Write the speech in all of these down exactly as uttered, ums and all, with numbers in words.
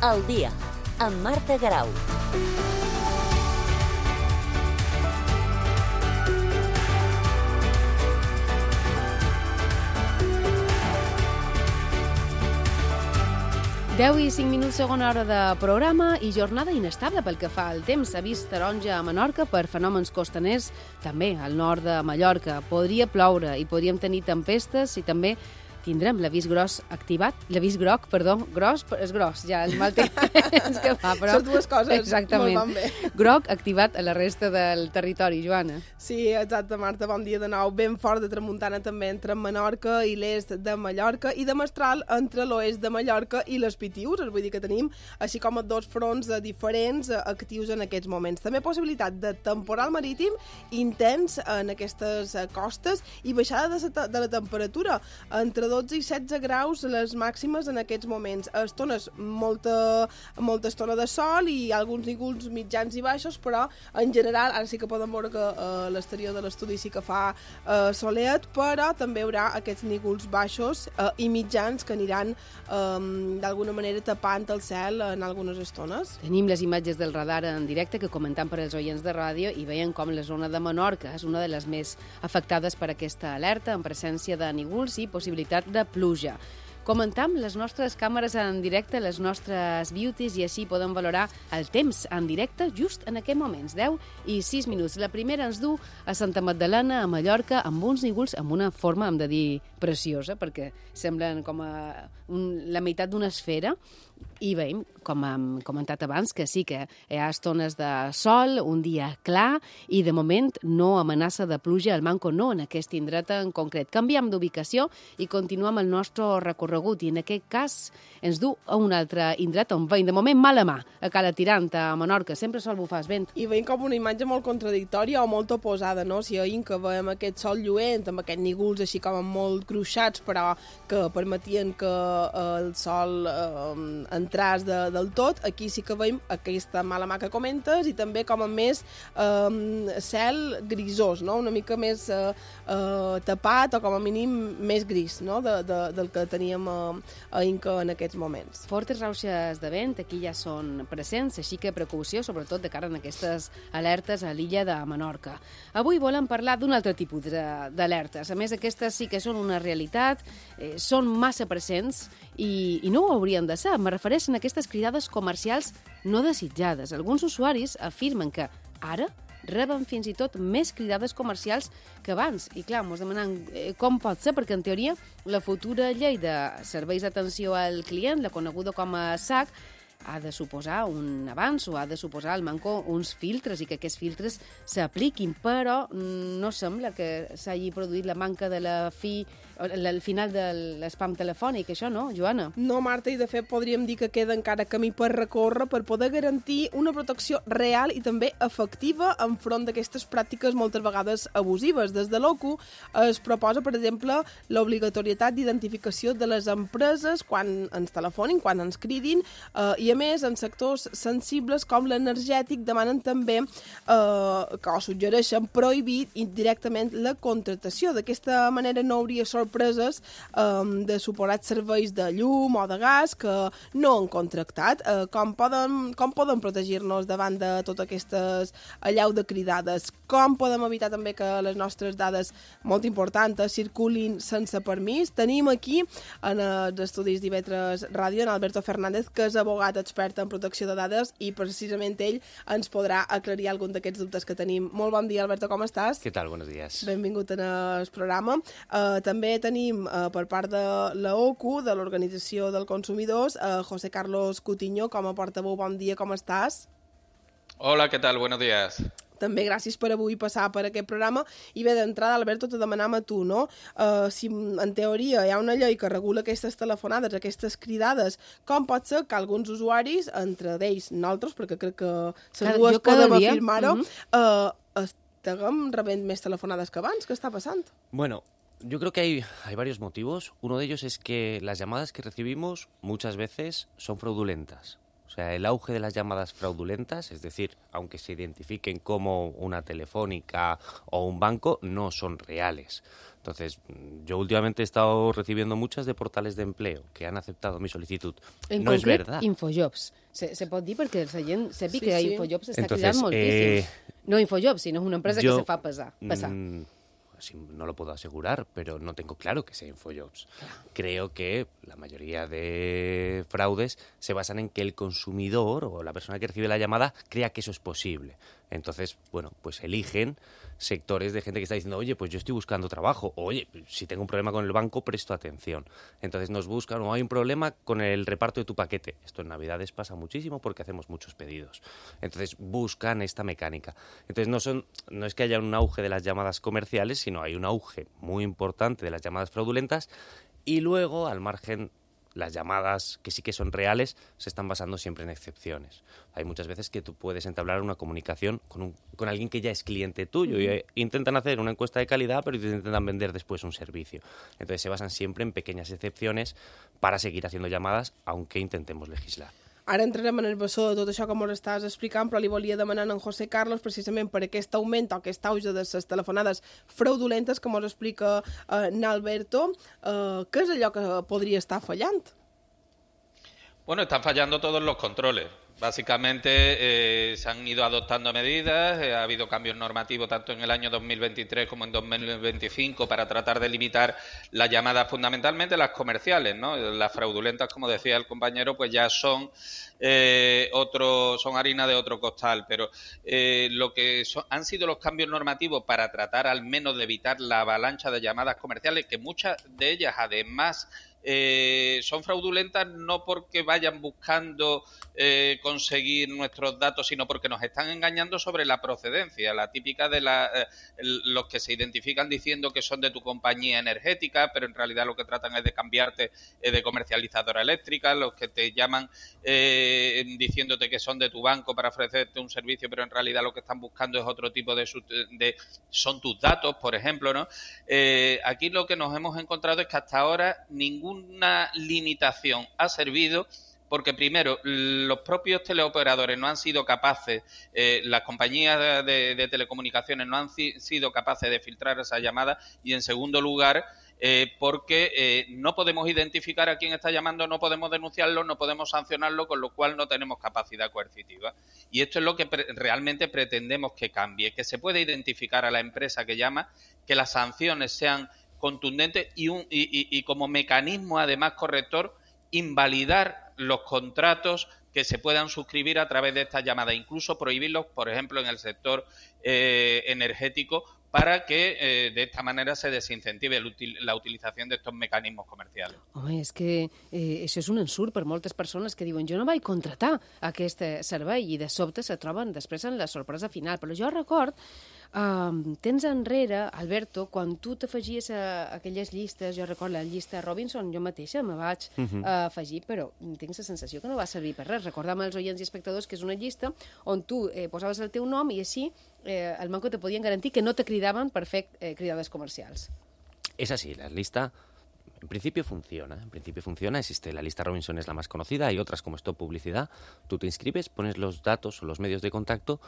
Al dia, amb Marta Grau. deu i cinc minuts, segona hora de programa i jornada inestable pel que fa al temps. S'ha vist taronja a Menorca per fenòmens costaners, també al nord de Mallorca. Podria ploure i podríem tenir tempestes i també tindrem l'avís gros activat, l'avís groc, perdó, gros, és gros, ja el mal temps que fa, però... Són dues coses, exactament, molt van bé. Groc activat a la resta del territori, Joana. Sí, exacte, Marta, bon dia de nou. Ben fort de tramuntana també entre Menorca i l'est de Mallorca i de mestral entre l'oest de Mallorca i les Pitius, vull dir que tenim així com dos fronts diferents actius en aquests moments. També possibilitat de temporal marítim intens en aquestes costes i baixada de la, de la temperatura entre dotze i setze graus les màximes en aquests moments. Estones, molta, molta estona de sol i alguns nígols mitjans i baixos, però en general, ara sí que podem veure que a uh, l'exterior de l'estudi sí que fa uh, soleat, però també hi haurà aquests nígols baixos uh, i mitjans que aniran um, d'alguna manera tapant el cel en algunes estones. Tenim les imatges del radar en directe que comentam per als oients de ràdio i veiem com la zona de Menorca és una de les més afectades per aquesta alerta en presència de nígols i possibilitat de pluja. Comentam les nostres càmeres en directe, les nostres beauties, i així podem valorar el temps en directe just en aquests moments, deu i sis minuts. La primera ens du a Santa Magdalena, a Mallorca, amb uns nígols amb una forma, hem de dir, preciosa, perquè semblen com a un, la meitat d'una esfera, i veiem, com hem comentat abans, que sí que hi ha estones de sol, un dia clar, i de moment no amenaça de pluja al Manco, no en aquest indret en concret. Canviem d'ubicació i continuem el nostre recorregut, i en aquest cas ens du a un altre indret on veiem de moment mala mà, a Cala Tirant, a Menorca, sempre sol bufar el vent. I veiem com una imatge molt contradictòria o molt oposada, no? Si veiem que veiem aquest sol lluent, amb aquests nígols així com molt gruixats, però que permetien que el sol eh, entràs de, del tot, aquí sí que veiem aquesta mala mà que comentes i també com a més eh, cel grisós, no? Una mica més eh, eh, tapat o com a mínim més gris, no? de, de, del que teníem a, a Inca en aquests moments. Fortes rauxes de vent aquí ja són presents, així que precaució, sobretot de cara a aquestes alertes a l'illa de Menorca. Avui volem parlar d'un altre tipus d'alertes. A més, aquestes sí que són una realitat, eh, són massa presents i, i no ho haurien de ser. Me refereixen a aquestes cridades comercials no desitjades. Alguns usuaris afirmen que ara reben fins i tot més cridades comercials que abans. I clar, ens demanen eh, com pot ser, perquè en teoria la futura llei de serveis d'atenció al client, la coneguda com a S A C, ha de suposar un avanç o ha de suposar al Manco uns filtres i que aquests filtres s'apliquin, però no sembla que s'hagi produït la manca de la fi, el final de l'espam telefònic, això no, Joana? No, Marta, i de fet podríem dir que queda encara camí per recórrer per poder garantir una protecció real i també efectiva enfront d'aquestes pràctiques moltes vegades abusives. Des de l'O C U es proposa, per exemple, l'obligatorietat d'identificació de les empreses quan ens telefonin, quan ens cridin, eh, i a més, en sectors sensibles com l'energètic demanen també eh, que o suggereixen prohibir directament la contractació. D'aquesta manera no hauria sorpreses eh, de suposats serveis de llum o de gas que no han contractat. Eh, com poden, com poden protegir-nos davant de totes aquestes allau de cridades? Com podem evitar també que les nostres dades molt importants circulin sense permís? Tenim aquí en els estudis d'I V tres Ràdio en Alberto Fernández, que és abogat expert en protecció de dades i precisament ell ens podrà aclarir algun d'aquests dubtes que tenim. Molt bon dia, Alberto, com estàs? Què tal? Buenos días. Benvingut en el programa. Uh, també tenim uh, per part de la O C U, de l'Organització del Consumidors, uh, José Carlos Cutiño, com a portaveu. Bon dia, com estàs? Hola, ¿qué tal? Buenos días. També gràcies per avui passar per aquest programa. I bé, d'entrada, Alberto, te demanam a tu, no? Uh, si en teoria hi ha una llei que regula aquestes telefonades, aquestes cridades, com pot ser que alguns usuaris, entre d'ells nosaltres, perquè crec que les dues podem afirmar-ho, uh -huh. uh, estiguem rebent més telefonades que abans? Què està passant? Bueno, yo creo que hay, hay varios motivos. Uno de ellos es que las llamadas que recibimos muchas veces son fraudulentas. O sea, el auge de las llamadas fraudulentas, es decir, aunque se identifiquen como una telefónica o un banco, no son reales. Entonces, yo últimamente he estado recibiendo muchas de portales de empleo que han aceptado mi solicitud. En no concret, es verdad. Infojobs. Se, se pot dir perquè la gent sàpiga Sí, que sí. Infojobs està Entonces, cridant moltíssim. eh, No Infojobs, sinó una empresa yo, que se fa pesar, passar. Mm, sí, no lo puedo asegurar, pero no tengo claro que sea Infojobs. Creo que la mayoría de fraudes se basan en que el consumidor o la persona que recibe la llamada crea que eso es posible. Entonces, bueno, pues eligen sectores de gente que está diciendo, oye, pues yo estoy buscando trabajo, o, oye, si tengo un problema con el banco, presto atención. Entonces nos buscan, o hay un problema con el reparto de tu paquete. Esto en Navidades pasa muchísimo porque hacemos muchos pedidos. Entonces buscan esta mecánica. Entonces no, son, no es que haya un auge de las llamadas comerciales, sino hay un auge muy importante de las llamadas fraudulentas y luego, al margen, las llamadas que sí que son reales se están basando siempre en excepciones. Hay muchas veces que tú puedes entablar una comunicación con, un, con alguien que ya es cliente tuyo y eh, intentan hacer una encuesta de calidad, pero te intentan vender después un servicio. Entonces se basan siempre en pequeñas excepciones para seguir haciendo llamadas, aunque intentemos legislar. Ara entrarem en el bessó de tot això que ens estàs explicant, però li volia demanar a en José Carlos precisament per aquest augment o aquest auge de les telefonades fraudulentes que ens explica eh, n'Alberto. Eh, què és allò que podria estar fallant? Bueno, están fallando todos los controles. Básicamente eh, se han ido adoptando medidas, eh, ha habido cambios normativos tanto en el año dos mil veintitrés como en dos mil veinticinco para tratar de limitar las llamadas, fundamentalmente las comerciales, ¿no? Las fraudulentas, como decía el compañero, pues ya son eh, otro, son harina de otro costal, pero eh, lo que son, han sido los cambios normativos para tratar al menos de evitar la avalancha de llamadas comerciales, que muchas de ellas además Eh, son fraudulentas no porque vayan buscando eh, conseguir nuestros datos, sino porque nos están engañando sobre la procedencia, la típica de la, eh, los que se identifican diciendo que son de tu compañía energética, pero en realidad lo que tratan es de cambiarte eh, de comercializadora eléctrica, los que te llaman eh, diciéndote que son de tu banco para ofrecerte un servicio, pero en realidad lo que están buscando es otro tipo de, de son tus datos, por ejemplo, ¿no? Eh, aquí lo que nos hemos encontrado es que hasta ahora ningún una limitación ha servido porque, primero, los propios teleoperadores no han sido capaces, eh, las compañías de, de, de telecomunicaciones no han si, sido capaces de filtrar esas llamadas y, en segundo lugar, eh, porque eh, no podemos identificar a quién está llamando, no podemos denunciarlo, no podemos sancionarlo, con lo cual no tenemos capacidad coercitiva. Y esto es lo que pre- realmente pretendemos que cambie, que se pueda identificar a la empresa que llama, que las sanciones sean contundente y, un, y, y, y como mecanismo además corrector invalidar los contratos que se puedan suscribir a través de esta llamada, incluso prohibirlos, por ejemplo, en el sector eh, energético, para que eh, de esta manera se desincentive el util, la utilización de estos mecanismos comercials. Home, és que eh, això és un ensurt per moltes persones que diuen jo no vaig contratar aquest servei i de sobte se troben després en la sorpresa final. Però jo record, eh, temps enrere, Alberto, quan tu t'afegies a aquelles llistes, jo record la llista Robinson, jo mateixa me vaig uh -huh. uh, afegir, però tinc la sensació que no va servir per res. Recordam als oients i espectadors que és una llista on tu eh, posaves el teu nom i així eh, el banco te podien garantir que no te cridaven per fer eh, cridades comercials. Es así, la lista en principio funciona, en principio funciona, existe la lista Robinson, es la más conocida, hay otras como Stop Publicidad, tú te inscribes, pones los datos o los medios de contacto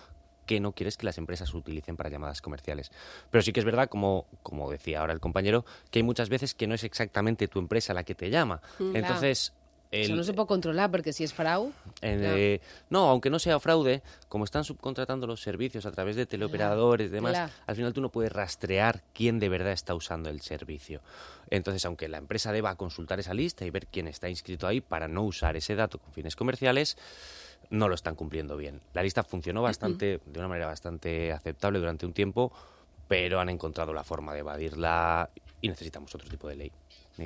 que no quieres que las empresas utilicen para llamadas comerciales. Pero sí que es verdad, como, como decía ahora el compañero, que hay muchas veces que no es exactamente tu empresa la que te llama. Mm, Entonces... El, Eso no se puede controlar porque si es fraude... Eh, no. no, aunque no sea fraude, como están subcontratando los servicios a través de teleoperadores y demás, claro. Al final tú no puedes rastrear quién de verdad está usando el servicio. Entonces, aunque la empresa deba consultar esa lista y ver quién está inscrito ahí para no usar ese dato con fines comerciales, no lo están cumpliendo bien. La lista funcionó bastante, uh-huh. de una manera bastante aceptable durante un tiempo, pero han encontrado la forma de evadirla y necesitamos otro tipo de ley.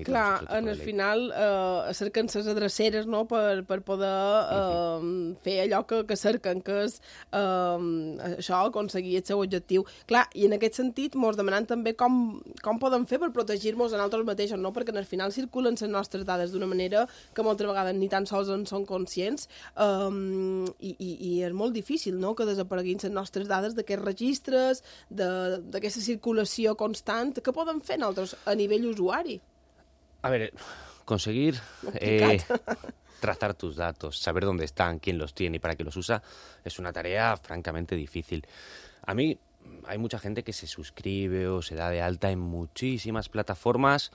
Clar, en el final eh, cerquen les adreceres, no?, per, per poder eh, uh-huh. fer allò que, que cerquen, que és eh, això, aconseguir el seu objectiu. Clar, i en aquest sentit mos demanen també com, com podem fer per protegir-nos a nosaltres mateixos, no?, perquè en el final circulen les nostres dades d'una manera que moltes vegades ni tan sols en són conscients eh, i, i, i és molt difícil, no?, que desapareguin les nostres dades d'aquests registres, d'aquesta circulació constant. Què podem fer nosaltres a nivell usuari? A ver, conseguir... Eh, trazar tus datos, saber dónde están, quién los tiene y para qué los usa, es una tarea francamente difícil. A mí hay mucha gente que se suscribe o se da de alta en muchísimas plataformas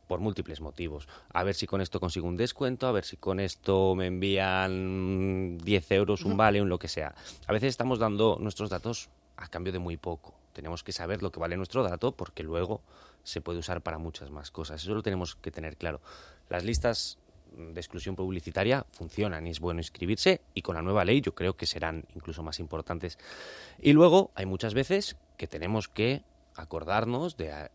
por múltiples motivos. A ver si con esto consigo un descuento, a ver si con esto me envían diez euros, un vale, un lo que sea. A veces estamos dando nuestros datos a cambio de muy poco. Tenemos que saber lo que vale nuestro dato porque luego se puede usar para muchas más cosas. Eso lo tenemos que tener claro. Las listas de exclusión publicitaria funcionan y es bueno inscribirse, y con la nueva ley yo creo que serán incluso más importantes. Y luego hay muchas veces que tenemos que acordarnos de,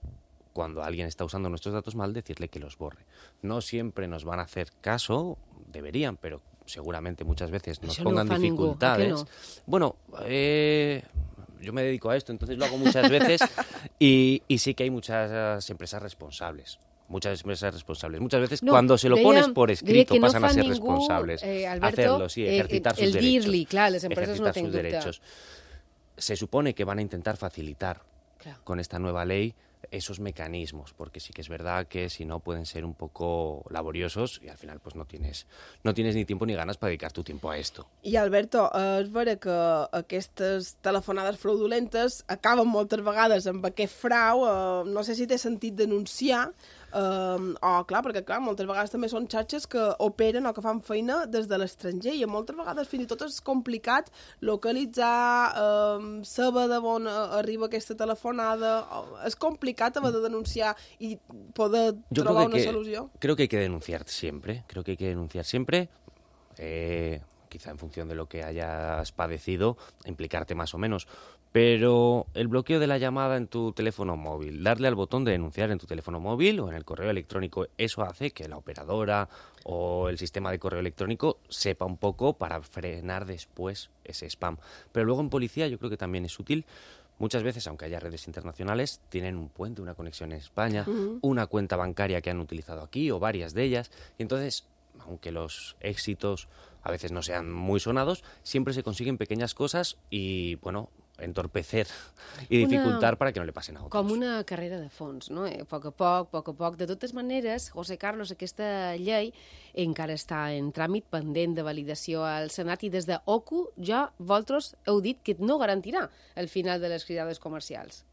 cuando alguien está usando nuestros datos mal, decirle que los borre. No siempre nos van a hacer caso, deberían, pero seguramente muchas veces nos Això pongan no ho fa dificultades. ningú, ¿a que no? Bueno, eh, yo me dedico a esto, entonces lo hago muchas veces y, y sí que hay muchas empresas responsables. Muchas empresas responsables. Muchas veces No, cuando se lo deia- pones por deia escrito que no pasan a fa ser ningú, responsables. eh, Alberto, Hacerlo, sí, eh, ejercitar el sus dir-li, derechos. clar, les empreses no ejercitar tenc sus dubte. derechos. Se supone que van a intentar facilitar Clar. con esta nueva ley esos mecanismos, porque sí que es verdad que si no pueden ser un poco laboriosos y al final pues no tienes, no tienes ni tiempo ni ganas para dedicar tu tiempo a esto. I, Alberto, és vera que aquestes telefonades fraudulentes acaben moltes vegades amb aquest frau. Eh, no sé si té sentit denunciar, eh, o, clar, perquè, clar, moltes vegades també són xarxes que operen o que fan feina des de l'estranger i moltes vegades fins i tot és complicat localitzar, eh, saber de on arriba aquesta telefonada. És complicat haver de denunciar i poder Yo trobar creo que, una hay que- solució. creo que hay que denunciar siempre, creo que hay que denunciar siempre, eh, quizá en función de lo que hayas padecido, implicarte más o menos, pero el bloqueo de la llamada en tu teléfono móvil, darle al botón de denunciar en tu teléfono móvil o en el correo electrónico, eso hace que la operadora o el sistema de correo electrónico sepa un poco para frenar después ese spam. Pero luego en policía yo creo que también es útil. Muchas veces, aunque haya redes internacionales, tienen un puente, una conexión en España, uh-huh. una cuenta bancaria que han utilizado aquí o varias de ellas. Y entonces, aunque los éxitos a veces no sean muy sonados, siempre se consiguen pequeñas cosas y, bueno, entorpecer i dificultar una, para que no le passen a otros. Com una carrera de fons, no? A poc a poc, a poc a poc. De totes maneres, José Carlos, aquesta llei encara està en tràmit pendent de validació al Senat i des de O C U ja vosaltres heu dit que no garantirà el final de les cridades comercials.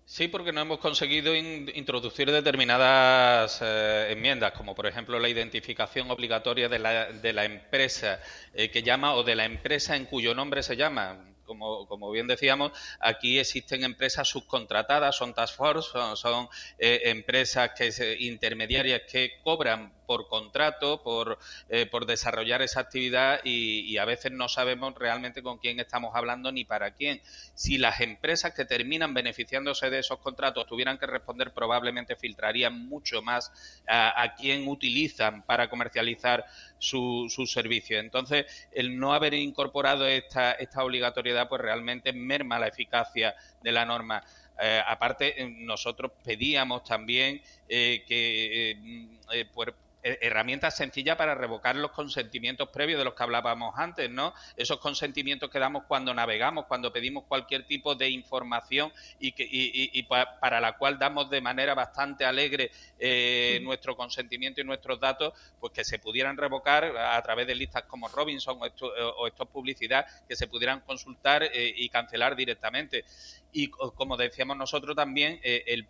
Sí, porque no hemos conseguido in- introducir determinadas eh, enmiendas, como por ejemplo la identificación obligatoria de la, de la empresa eh, que llama o de la empresa en cuyo nombre se llama. Como, como bien decíamos, aquí existen empresas subcontratadas, son task force, son, son eh, empresas que se, intermediarias que cobran por contrato, por, eh, por desarrollar esa actividad y, y a veces no sabemos realmente con quién estamos hablando ni para quién. Si las empresas que terminan beneficiándose de esos contratos tuvieran que responder, probablemente filtrarían mucho más a, a quién utilizan para comercializar su, su servicio. Entonces, el no haber incorporado esta, esta obligatoriedad pues realmente merma la eficacia de la norma. Eh, aparte, eh, nosotros pedíamos también eh, que eh, eh, pues, herramientas sencillas para revocar los consentimientos previos de los que hablábamos antes, ¿no? Esos consentimientos que damos cuando navegamos, cuando pedimos cualquier tipo de información y, que, y, y, y pa, para la cual damos de manera bastante alegre eh, sí. nuestro consentimiento y nuestros datos, pues que se pudieran revocar a través de listas como Robinson o esto, o esto es publicidad, que se pudieran consultar eh, y cancelar directamente. Y como decíamos nosotros también, eh, el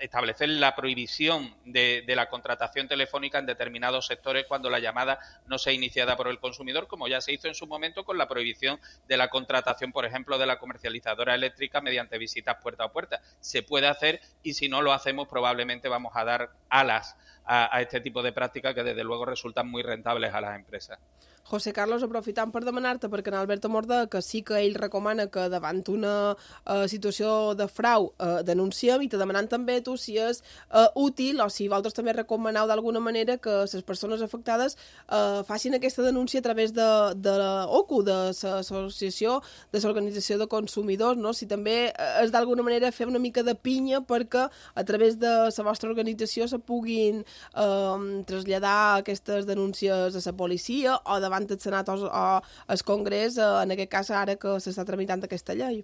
establecer la prohibición de, de la contratación telefónica en determinados sectores cuando la llamada no sea iniciada por el consumidor, como ya se hizo en su momento con la prohibición de la contratación, por ejemplo, de la comercializadora eléctrica mediante visitas puerta a puerta. Se puede hacer y si no lo hacemos probablemente vamos a dar alas a, a este tipo de prácticas que desde luego resultan muy rentables a las empresas. José Carlos, aprofitant per demanar-te, perquè en Alberto Mordà, que sí que ell recomana que davant una uh, situació de frau uh, denunciem, i te demanant també tu si és uh, útil o si vosaltres també recomaneu d'alguna manera que les persones afectades uh, facin aquesta denúncia a través de, de l'O C U, de l'Associació de l'Organització de Consumidors, no? Si també és d'alguna manera fer una mica de pinya perquè a través de la vostra organització se puguin uh, traslladar aquestes denúncies a la policia o davant del Senat o al Congrés, en aquest cas ara que s'està tramitant aquesta llei.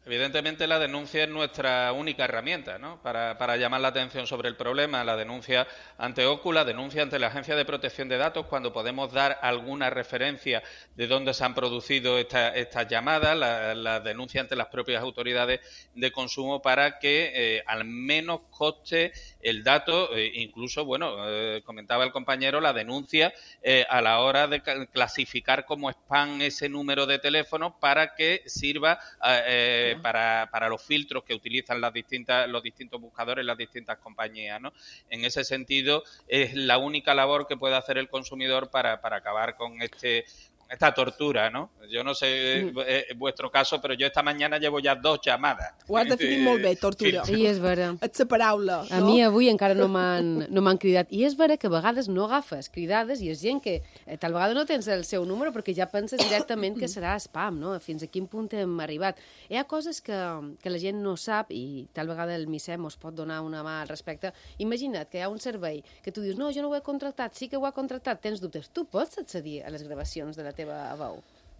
Evidentemente la denuncia es nuestra única herramienta, ¿no? Para, para llamar la atención sobre el problema. La denuncia ante O C U, la denuncia ante la Agencia de Protección de Datos, cuando podemos dar alguna referencia de dónde se han producido esta, estas llamadas, la, la denuncia ante las propias autoridades de consumo para que eh, al menos coste el dato, eh, incluso, bueno, eh, comentaba el compañero, la denuncia eh, a la hora de clasificar como spam ese número de teléfono para que sirva eh, Para, para los filtros que utilizan las distintas, los distintos buscadores, las distintas compañías, ¿no? En ese sentido, es la única labor que puede hacer el consumidor para, para acabar con este esta tortura, ¿no? Jo no sé mm. eh, vuestro caso, però jo esta mañana llevo ja dos llamades. Ho has definit molt bé, tortura. Sí, és vera. És la paraula, no? A mi avui encara no m'han no m'han cridat. I és vera que a vegades no agafes cridades i és gent que eh, tal vegada no tens el seu número perquè ja penses directament que serà spam, no? Fins a quin punt hem arribat. Hi ha coses que, que la gent no sap i tal vegada el MICEM us pot donar una mà al respecte. Imagina't que hi ha un servei que tu dius, no, jo no ho he contractat, sí que ho ha contractat, tens dubtes. Tu pots accedir a les gravacions de la teva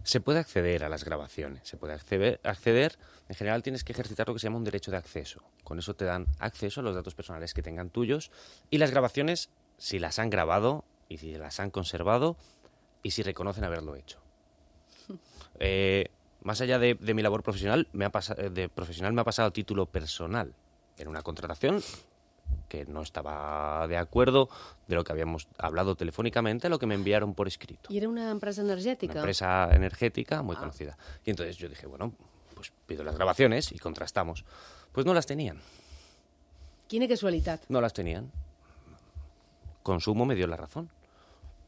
Se puede acceder a las grabaciones, se puede acceder, acceder, en general tienes que ejercitar lo que se llama un derecho de acceso. Con eso te dan acceso a los datos personales que tengan tuyos y las grabaciones, si las han grabado y si las han conservado y si reconocen haberlo hecho. Eh, más allá de, de mi labor profesional, me ha pasado, de profesional me ha pasado a título personal en una contratación que no estaba de acuerdo de lo que habíamos hablado telefónicamente a lo que me enviaron por escrito. ¿Y era una empresa energética? Una empresa energética muy ah. conocida. Y entonces yo dije, bueno, pues pido las grabaciones y contrastamos. Pues no las tenían. Quina casualitat. No las tenían. Consumo me dio la razón.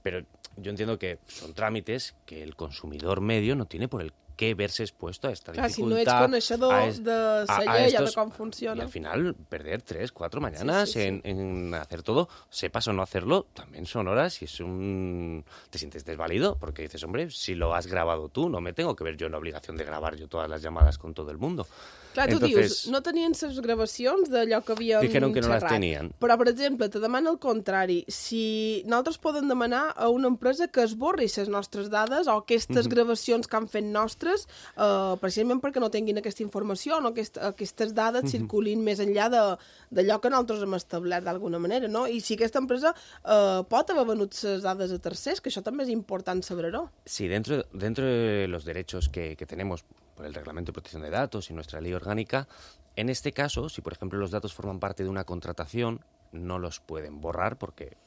Pero yo entiendo que son trámites que el consumidor medio no tiene por el que verse expuesto a esta Clar, dificultad. Si no ets coneixedor es, de la llei o de com funciona. Y al final, perder tres, cuatro mañanas sí, sí, sí. En, en hacer todo, sepas o no hacerlo, también son horas y es un... te sientes desvalido porque dices, hombre, si lo has grabado tú, no me tengo que ver yo en la obligación de grabar yo todas las llamadas con todo el mundo. Clar, tu Entonces, dius, no tenien les gravacions d'allò que havíem dijeron que no xerrat, las tenían. Però, per exemple, te demana el contrari. Si nosaltres podem demanar a una empresa que esborri les nostres dades o aquestes uh-huh. gravacions que han fet nostres, eh, precisament perquè no tinguin aquesta informació, no? Aquest, aquestes dades uh-huh. circulin més enllà d'allò que nosaltres hem establert d'alguna manera, no? I si aquesta empresa eh, pot haver venut les dades a tercers, que això també és important saber-ho. Sí, dentro, dentro de los derechos que, que tenemos por el Reglamento de Protección de Datos y nuestra ley orgánica, en este caso, si por ejemplo los datos forman parte de una contratación, no los pueden borrar porque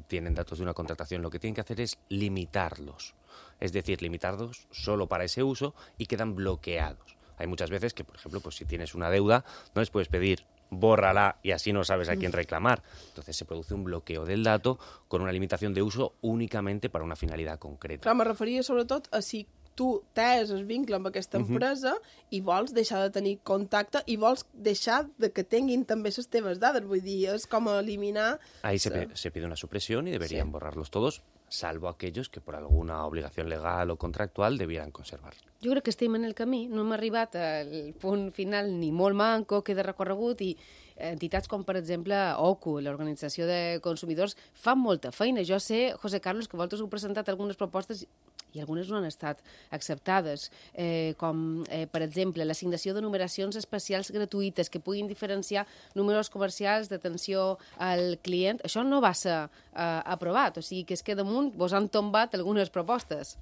tienen datos de una contratación. Lo que tienen que hacer es limitarlos, es decir, limitarlos solo para ese uso y quedan bloqueados. Hay muchas veces que, por ejemplo, pues si tienes una deuda, no les puedes pedir bórrala y así no sabes a quién reclamar. Entonces se produce un bloqueo del dato con una limitación de uso únicamente para una finalidad concreta. Clar, me referia sobretot a si tu tens el vincle amb aquesta empresa uh-huh. i vols deixar de tenir contacte i vols deixar de que tinguin també les teves dades. Vull dir, és com eliminar... Ahí se, pe se pide una supresión y deberían sí. borrarlos todos, salvo aquellos que por alguna obligación legal o contractual debieran conservar. Jo crec que estem en el camí, no hem arribat al punt final ni molt manco, queda recorregut i entitats com, per exemple, O C U, l'Organització de Consumidors, fan molta feina. Jo sé, José Carlos, que vosaltres heu presentat algunes propostes i algunes no han estat acceptades, eh, com, eh, per exemple, l'assignació de numeracions especials gratuïtes que puguin diferenciar números comercials d'atenció al client. Això no va ser eh, aprovat, o sigui que és que damunt vos han tombat algunes propostes.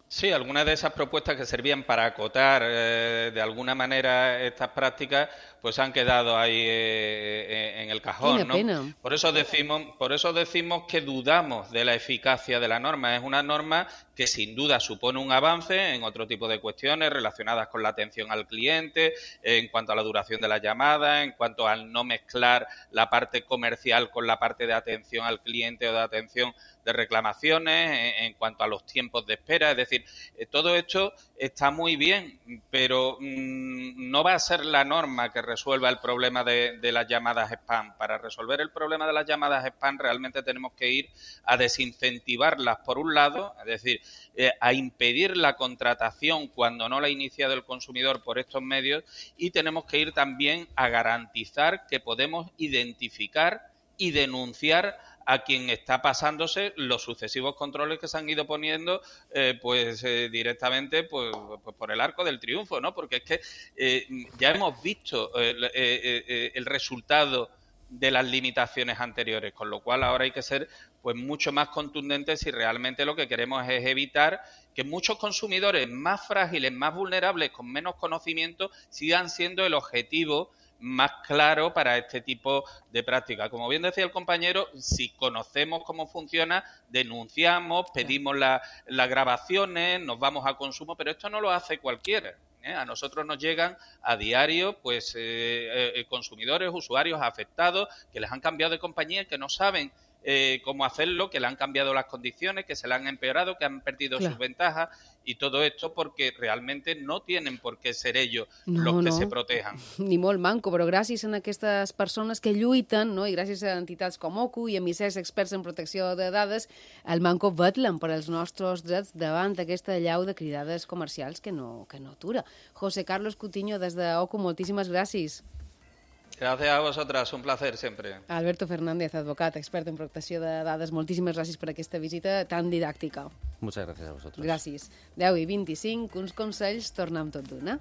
Sí, algunas de esas propuestas que servían para acotar eh, de alguna manera estas prácticas, pues han quedado ahí eh, en el cajón, Tiene ¿no? pena. Por eso decimos, por eso decimos que dudamos de la eficacia de la norma. Es una norma que sin duda supone un avance en otro tipo de cuestiones relacionadas con la atención al cliente, en cuanto a la duración de la llamada, en cuanto al no mezclar la parte comercial con la parte de atención al cliente o de atención de reclamaciones, en, en cuanto a los tiempos de espera. Es decir, eh, todo esto está muy bien, pero mmm, no va a ser la norma que resuelva el problema de, de las llamadas spam. Para resolver el problema de las llamadas spam realmente tenemos que ir a desincentivarlas por un lado, es decir, eh, a impedir la contratación cuando no la ha iniciado el consumidor por estos medios, y tenemos que ir también a garantizar que podemos identificar y denunciar a quien está pasándose los sucesivos controles que se han ido poniendo eh, pues eh, directamente pues, pues por el arco del triunfo, ¿no? Porque es que eh, ya hemos visto eh, eh, eh, el resultado de las limitaciones anteriores, con lo cual ahora hay que ser pues mucho más contundentes si realmente lo que queremos es evitar que muchos consumidores más frágiles, más vulnerables, con menos conocimiento, sigan siendo el objetivo más claro para este tipo de prácticas. Como bien decía el compañero, si conocemos cómo funciona, denunciamos, pedimos la, las grabaciones, nos vamos a consumo, pero esto no lo hace cualquiera. ¿eh? A nosotros nos llegan a diario pues eh, eh, consumidores, usuarios afectados que les han cambiado de compañía, que no saben Eh, cómo hacerlo, que le han cambiado las condiciones, que se le han empeorado, que han perdido claro. sus ventajas, y todo esto porque realmente no tienen por qué ser ellos no, los que no. se protejan. Ni molt manco, però gràcies a aquestes persones que lluiten, no? I gràcies a entitats com O C U i a misers experts en protecció de dades, el manco vetlen per als nostres drets davant d'aquesta llau de cridades comercials que no, que no atura. José Carlos Cutiño, des de O C U, moltíssimes gràcies. Gracias a vosotras, un placer siempre. Alberto Fernández, advocat, expert en protecció de dades, moltíssimes gràcies per aquesta visita tan didàctica. Muchas gracias a vosotros. Gràcies. deu i vint-i-cinc, uns consells, tornem tot d'una.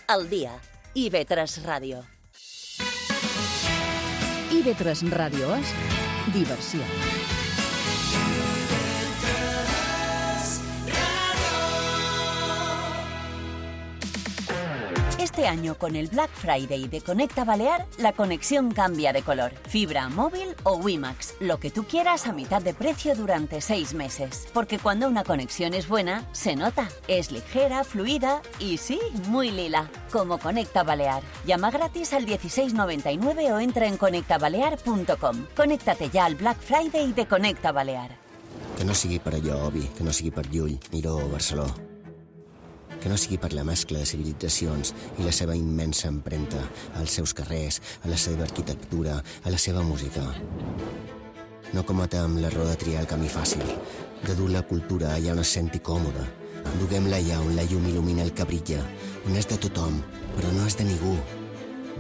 El dia. I V tres Ràdio. I V tres Ràdio és diversió. Este año, con el Black Friday de Conecta Balear, la conexión cambia de color. Fibra, móvil o WiMAX, lo que tú quieras a mitad de precio durante seis meses. Porque cuando una conexión es buena, se nota. Es ligera, fluida y sí, muy lila. Como Conecta Balear. Llama gratis al dieciséis noventa y nueve o entra en conecta balear punto com. Conéctate ya al Black Friday de Conecta Balear. Que no sigui per allò, Obi, que no sigui per Llull, Miró o Barceló. Que no sigui per la mescla de civilitzacions i la seva immensa empremta als seus carrers, a la seva arquitectura, a la seva música. No cometem l'error de triar el camí fàcil, de dur la cultura allà on es senti còmoda. Duguem-la allà on la llum il·lumina el que brilla, on és de tothom, però no és de ningú.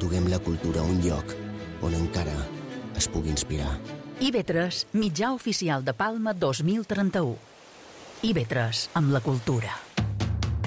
Duguem la cultura a un lloc on encara es pugui inspirar. I V tres, mitjà oficial de Palma dos mil trenta-u. I V tres, amb la cultura.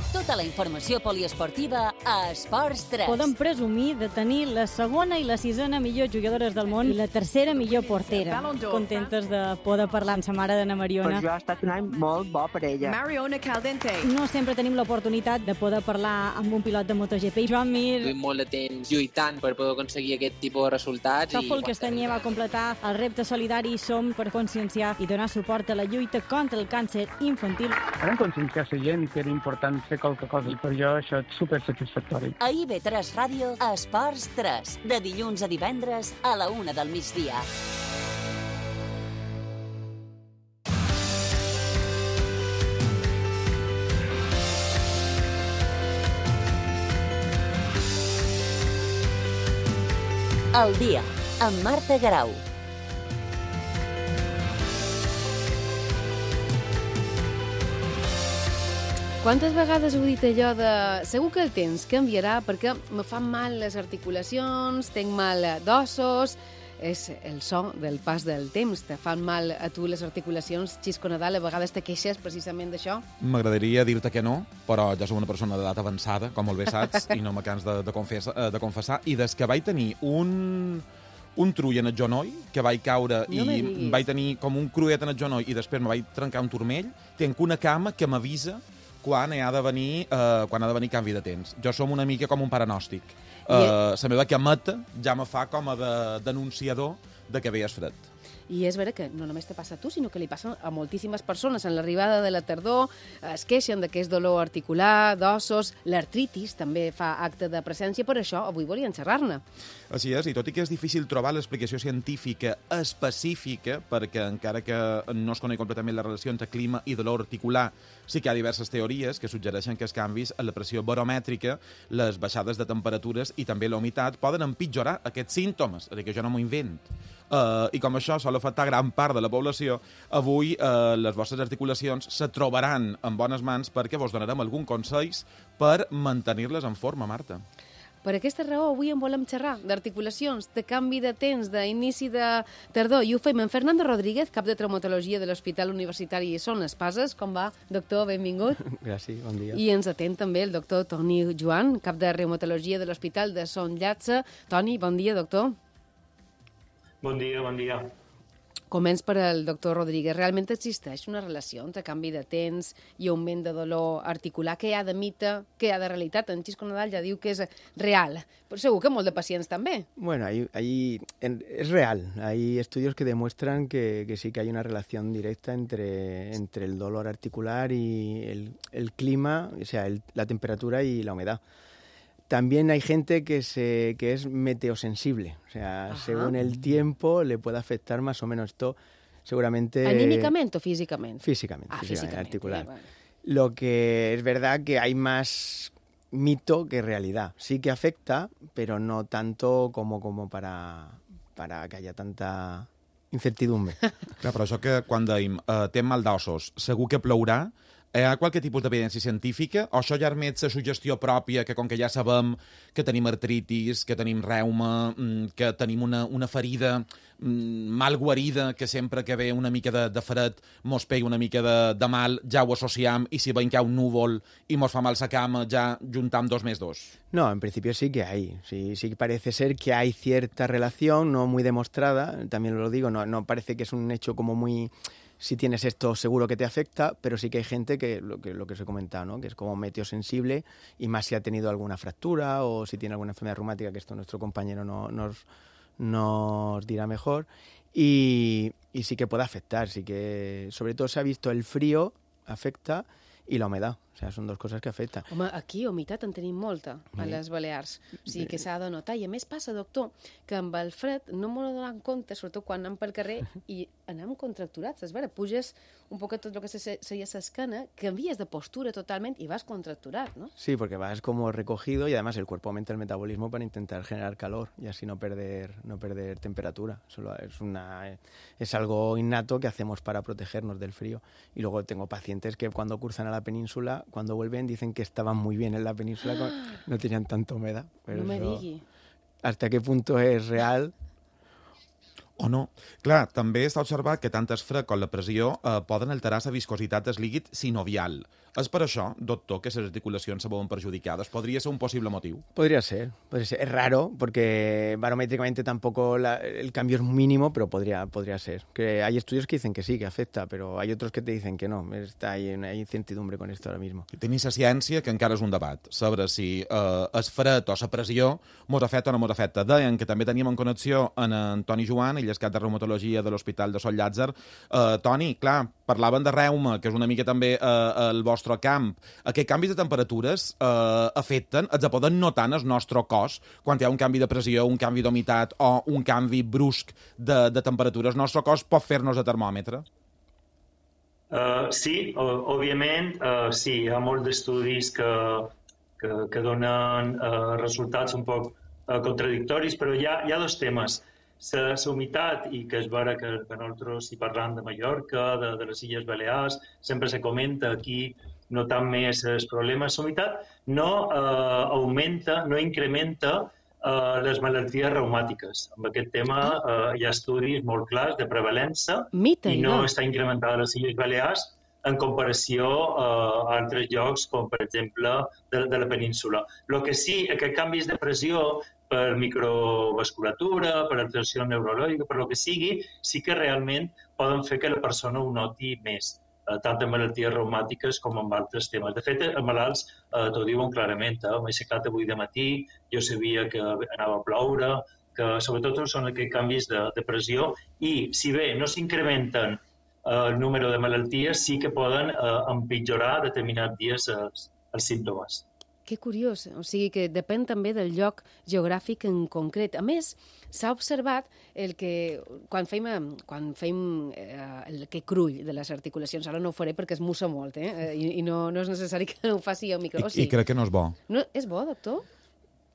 Tota la informació poliesportiva a Esports tres. Podem presumir de tenir la segona i la sisena millors jugadores del món i la tercera millor portera. Contentes de poder parlar amb sa mare d'Anna Mariona. Per jo ha estat un any molt bo per ella. Mariona Caldente. No sempre tenim l'oportunitat de poder parlar amb un pilot de MotoGP. Joan Mir. Duim molt de temps lluitant per poder aconseguir aquest tipus de resultats. Sòfol Castanyer va completar el repte solidari Som per conscienciar i donar suport a la lluita contra el càncer infantil. Vam conscienciar la gent que era important fer qualque cosa i per jo això és supersatisfactori. A I V tres Ràdio, a Esports tres, de dilluns a divendres a la una del migdia. El dia, amb Marta Garau. Quantes vegades heu dit allò de... Segur que el temps canviarà perquè me fan mal les articulacions, tenc mal d'ossos... És el so del pas del temps. Te fan mal a tu les articulacions, Xisco Nadal, a vegades te queixes precisament d'això? M'agradaria dir-te que no, però jo soc una persona d'edat avançada, com molt bé saps, i no me cans de, de, confessa, de confessar. I des que vaig tenir un... un trull en el genoll, que vaig caure no i vaig tenir com un cruet en el genoll i després me vaig trencar un turmell, tenc una cama que m'avisa quan ha de venir, eh, quan ha de venir canvi de temps. Jo som una mica com un paranòstic. Uh, la meva cameta ja me fa com a de, denunciador de que ve és fred. I és vera que no només te passa a tu, sinó que li passa a moltíssimes persones. En l'arribada de la tardor es queixen de que és dolor articular, d'ossos, l'artritis també fa acte de presència, per això avui volien xerrar-ne. Així és, i tot i que és difícil trobar l'explicació científica específica, perquè encara que no es coneix completament la relació entre clima i dolor articular, sí que hi ha diverses teories que suggereixen que els canvis en la pressió baromètrica, les baixades de temperatures i també la humitat poden empitjorar aquests símptomes, és a dir, que jo no m'ho invent. Uh, I com això sol sol afectar gran part de la població, avui eh, les vostres articulacions se trobaran en bones mans perquè vos donarem algun consells per mantenir-les en forma, Marta. Per aquesta raó, avui en volem xerrar d'articulacions, de canvi de temps, d'inici de tardor, i ho fem amb Fernando Rodríguez, cap de traumatologia de l'Hospital Universitari Son Espases. Com va, doctor? Benvingut. Gràcies, bon dia. I ens atén també el doctor Toni Joan, cap de reumatologia de l'Hospital de Son Llatze. Toni, bon dia, doctor. Bon dia, bon dia. Començ per al doctor Rodríguez. Realment existeix una relació entre canvi de temps i augment de dolor articular? Què hi ha de mite, què hi ha de realitat? En Xisco Nadal ja diu que és real, però segur que molts de pacients també. Bueno, hay, hay, en, es real. Hay estudios que demuestran que, que sí que hay una relación directa entre, entre el dolor articular y el, el clima, o sea, el, la temperatura y la humedad. También hay gente que, se, que es meteosensible, o sea, Ajá. según el tiempo le puede afectar más o menos esto, seguramente... ¿Anímicamente o físicamente? Físicamente, ah, físicamente, físicamente articular. Vale. Lo que es verdad que hay más mito que realidad. Sí que afecta, pero no tanto como, como para, para que haya tanta incertidumbre. Clar, però això que quan dèiem eh, té mal d'ossos, segur que plourà. Hi ha qualque tipus d'evidència científica o això ja admet la suggestió pròpia que com que ja sabem que tenim artritis, que tenim reuma, que tenim una, una ferida mal guarida, que sempre que ve una mica de, de fred mos pega una mica de, de mal, ja ho associem i si veiem que hi ha un núvol i mos fa mal la cama ja juntam dos més dos? No, en principio sí que hay. Sí, sí parece ser que hay cierta relación, no muy demostrada, también lo digo, no, no parece que es un hecho como muy... Si tienes esto seguro que te afecta, pero sí que hay gente que lo que, lo que os he comentado, ¿no? Que es como meteosensible y más si ha tenido alguna fractura o si tiene alguna enfermedad reumática, que esto nuestro compañero no, nos, nos dirá mejor. Y, y sí que puede afectar, sí que sobre todo se ha visto el frío afecta i la humedad. O sea, són dues coses que afecten. Home, aquí humitat en tenim molta, a les Balears. O sigui que s'ha de notar. I a més passa, doctor, que amb el fred no m'ho donem compte, sobretot quan anem pel carrer i anem contracturats. És vera, puges un poc tot el que seria l'escana, canvies de postura totalment i vas contracturat, ¿no? Sí, porque vas como recogido y además el cuerpo aumenta el metabolismo para intentar generar calor y así no perder, no perder temperatura. Solo es, una, es algo innato que hacemos para protegernos del frío. Y luego tengo pacientes que cuando cursan a la península, cuando vuelven dicen que estaban muy bien en la península, no tenían tanta humedad. Pero no me eso, digui. ¿Hasta qué punto es real? O no. Clar, també està observat que tant el fred com la pressió eh, poden alterar la viscositat del líquid sinovial. És per això, doctor, que les articulacions se veuen perjudicades. ¿Podría ser un posible motivo? Podría ser. Podría ser. Es raro, porque barométricamente tampoco la, el cambio es mínimo, pero podría, podría ser. Que hay estudios que dicen que sí, que afecta, pero hay otros que te dicen que no. Està ahí, hay incertidumbre con esto ahora mismo. Tenim la ciència, que encara és un debat, sobre si eh, el fred o la pressió mos afecta o no mos afecta. Deien que també teníem en connexió en Antoni Joan, ell és cap de reumatologia de l'Hospital de Son Llàtzer. Eh, Toni, clar, parlaven de reuma, que és una mica també eh, el vostre camp. Aquests canvis de temperatures eh, afecten, els poden notar en el nostre cos quan hi ha un canvi de pressió, un canvi d'humitat o un canvi brusc de, de temperatura. El nostre cos pot fer-nos de termòmetre? Uh, sí, òbviament, uh, sí, hi ha molts d'estudis que, que, que donen uh, resultats un poc uh, contradictoris, però hi ha, hi ha dos temes. La humitat, i que és vera que, que nosaltres, si parlam de Mallorca, de, de les Illes Balears, sempre se comenta aquí, notant més els problemes. La humitat no eh, augmenta, no incrementa eh, les malalties reumàtiques. En aquest tema eh, hi ha estudis molt clars de prevalença Mita, i no, no està incrementada a les Illes Balears en comparació eh, a altres llocs, com per exemple de, de la península. El que sí, aquests canvis de pressió per microvasculatura, per alteració neurològica, per el que sigui, sí que realment poden fer que la persona ho noti més, eh, tant en malalties reumàtiques com en altres temes. De fet, els malalts eh, t'ho diuen clarament. Eh? M'he aixecat avui de matí, jo sabia que anava a ploure, que sobretot són aquests canvis de, de pressió i, si bé no s'incrementen eh, el número de malalties, sí que poden eh, empitjorar determinats dies els, els símptomes. Que curiós, o sigui que depèn també del lloc geogràfic en concret. A més, s'ha observat el que quan fem, quan fem eh, el que crull de les articulacions, ara no ho faré perquè es mussa molt, eh? I, i no, no és necessari que ho faci al micro. I, I crec que no és bo. No, és bo, doctor?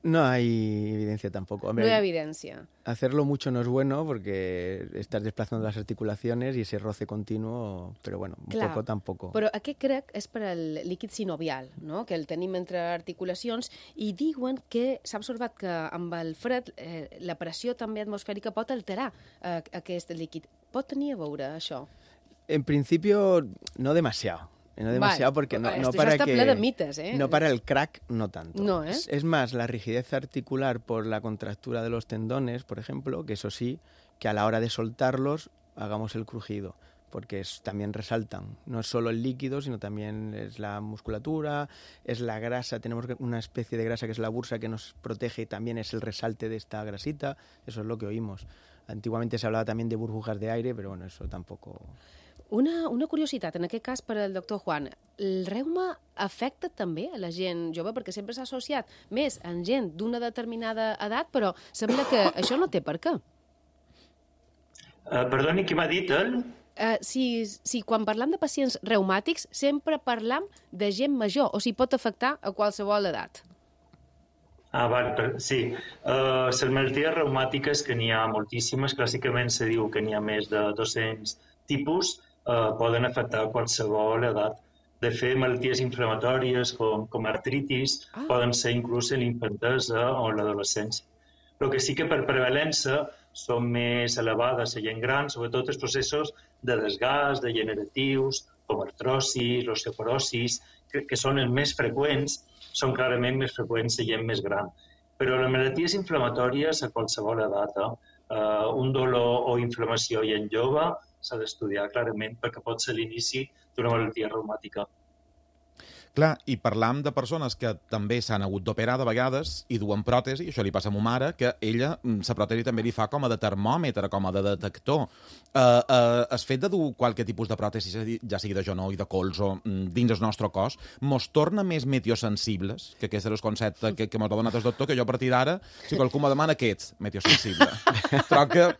No hay evidencia tampoco. Hombre, no hay evidencia. Hacerlo mucho no es bueno porque estás desplazando las articulaciones y ese roce continuo, però bueno, un Clar, poco tampoco. Però aquest crec és per al líquid sinovial, no? Que el tenim entre articulacions, i diuen que s'ha observat que amb el fred eh, la pressió també atmosfèrica pot alterar eh, aquest líquid. Pot tenir a veure això? En principio, no demasiado. No demasiado vale. porque no, Esto no para está que... ple de mites, ¿eh? No para el crack, no tanto. No, ¿eh? Es, es más, la rigidez articular por la contractura de los tendones, por ejemplo, que eso sí, que a la hora de soltarlos hagamos el crujido, porque es, también resaltan. No es solo el líquido, sino también es la musculatura, es la grasa. Tenemos una especie de grasa que es la bursa que nos protege y también es el resalte de esta grasita. Eso es lo que oímos. Antiguamente se hablaba también de burbujas de aire, pero bueno, eso tampoco... Una, una curiositat, en aquest cas per al doctor Juan. El reuma afecta també a la gent jove? Perquè sempre s'ha associat més en gent d'una determinada edat, però sembla que això no té per què. Uh, perdoni, qui m'ha dit, el? Uh, si, si quan parlam de pacients reumàtics sempre parlam de gent major, o si pot afectar a qualsevol edat. Ah, val, sí. Uh, les malalties reumàtiques, que n'hi ha moltíssimes, clàssicament se diu que n'hi ha més de dos-cents tipus, Uh, poden afectar qualsevol edat. De fet, malalties inflamatòries com, com artritis ah. poden ser inclús en l'infantesa o en l'adolescència. El que sí que per prevalença són més elevades a gent gran, sobretot els processos de desgast degeneratius, com artrosis, osteoporosis, que, que són els més freqüents, són clarament més freqüents a gent més gran. Però les malalties inflamatòries a qualsevol edat, eh? Uh, un dolor o inflamació i en jove s'ha d'estudiar clarament perquè pot ser l'inici d'una malaltia reumàtica. Clar, i parlam de persones que també s'han hagut d'operar de vegades i duen pròtesi, això li passa a ma mare, que ella, la pròtesi també li fa com a de termòmetre, com a de detector. Uh, uh, el fet de dur qualque tipus de pròtesi, ja sigui de genoll, de colze, dins el nostre cos, mos torna més meteosensibles, que aquest és el concepte que, que mos ha donat el doctor, que jo a partir d'ara, si qualcú me demana què ets, meteosensible. Però que,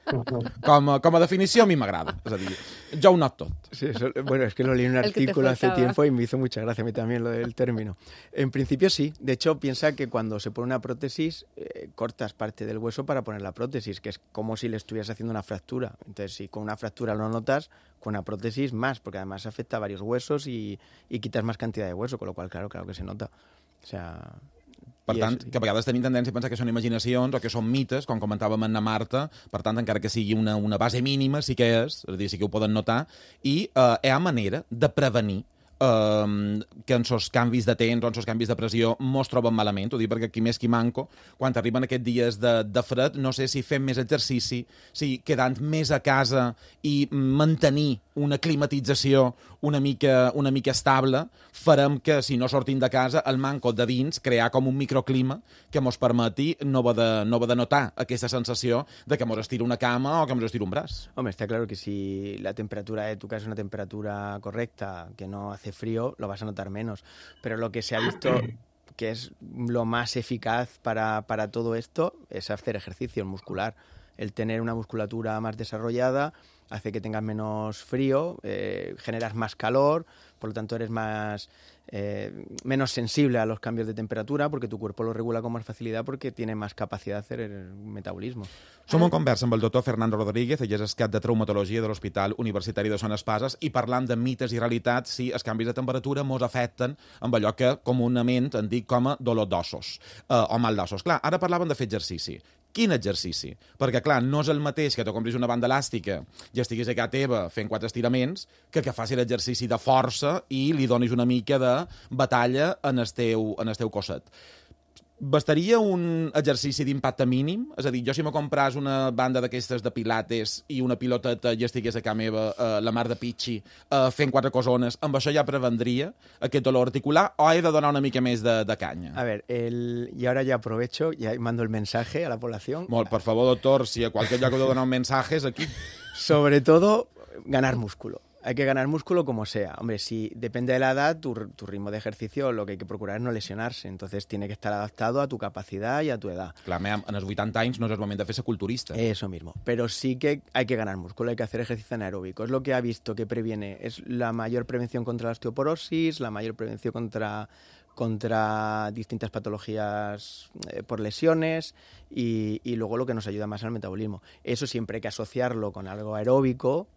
com, com a definició, a mi m'agrada. És a dir, jo ho not tot. Sí, eso, bueno, es que lo leí en un artículo hace tiempo y me hizo mucha gracia a mí también lo del término. En principio sí. De hecho, piensa que cuando se pone una prótesis, eh, cortas parte del hueso para poner la prótesis, que es como si le estuvieras haciendo una fractura. Entonces, si con una fractura lo notas, con una prótesis más, porque además afecta a varios huesos y, y quitas más cantidad de hueso, con lo cual, claro, claro que se nota. O sea... Per tant, que a vegades tenim tendència a pensar que són imaginacions o que són mites, com comentàvem amb na Marta, per tant, encara que sigui una, una base mínima, sí que és, és a dir, sí que ho poden notar, i eh, hi ha manera de prevenir Uh, que en sos canvis de temps o en sos canvis de pressió mos troben malament, ho dic perquè qui més qui manco, quan arriben aquests dies de, de fred, no sé si fem més exercici, si quedant més a casa i mantenir una climatització una mica, una mica estable, farem que, si no sortim de casa, el manco de dins, crear com un microclima que mos permeti no va de, no va de notar aquesta sensació de que mos estira una cama o que mos estira un braç. Hombre, está claro que si la temperatura de tu casa es una temperatura correcta, que no hace frío, lo vas a notar menos. Pero lo que se ha visto que es lo más eficaz para, para todo esto es hacer ejercicio muscular. El tener una musculatura más desarrollada hace que tengas menos frío, eh, generas más calor, por lo tanto eres más eh, menos sensible a los cambios de temperatura porque tu cuerpo lo regula con más facilidad porque tiene más capacidad de hacer el metabolismo. Som en conversa amb el doctor Fernando Rodríguez, ell és el cap de traumatologia de l'Hospital Universitari de Son Espases, i parlant de mites i realitats si els canvis de temperatura mos afecten amb allò que comunament en dic com a dolor d'ossos eh, o mal d'ossos. Clar, ara parlaven de fer exercici. Quin exercici? Perquè, clar, no és el mateix que te compris una banda elàstica i estiguis a casa teva fent quatre estiraments que que faci l'exercici de força i li donis una mica de batalla en el teu, en el teu cosset. Bastaria un exercici d'impacte mínim? És a dir, jo si me compras una banda d'aquestes de pilates i una piloteta i estigués a casa meva, eh, la mar de pitxi, eh, fent quatre cosones, amb això ja prevendria aquest dolor articular o he de donar una mica més de, de canya? A ver, el... y ahora ya aprovecho, ya mando el mensaje a la población. Molt, por favor, doctor, si a qualsevol lloc heu de donar un mensaje és aquí. Sobre todo, ganar músculo. Hay que ganar músculo como sea. Hombre, si depende de la edad, tu, tu ritmo de ejercicio, lo que hay que procurar es no lesionarse. Entonces tiene que estar adaptado a tu capacidad y a tu edad. Clar, en els vuitanta anys no és el moment de fer-se culturista. Eso mismo. Pero sí que hay que ganar músculo, hay que hacer ejercicio anaeróbico. Es lo que ha visto que previene. Es la mayor prevención contra la osteoporosis, la mayor prevención contra... contra distintas patologías eh, por lesiones y, y luego lo que nos ayuda más al metabolismo. Eso siempre hay que asociarlo con algo aeróbico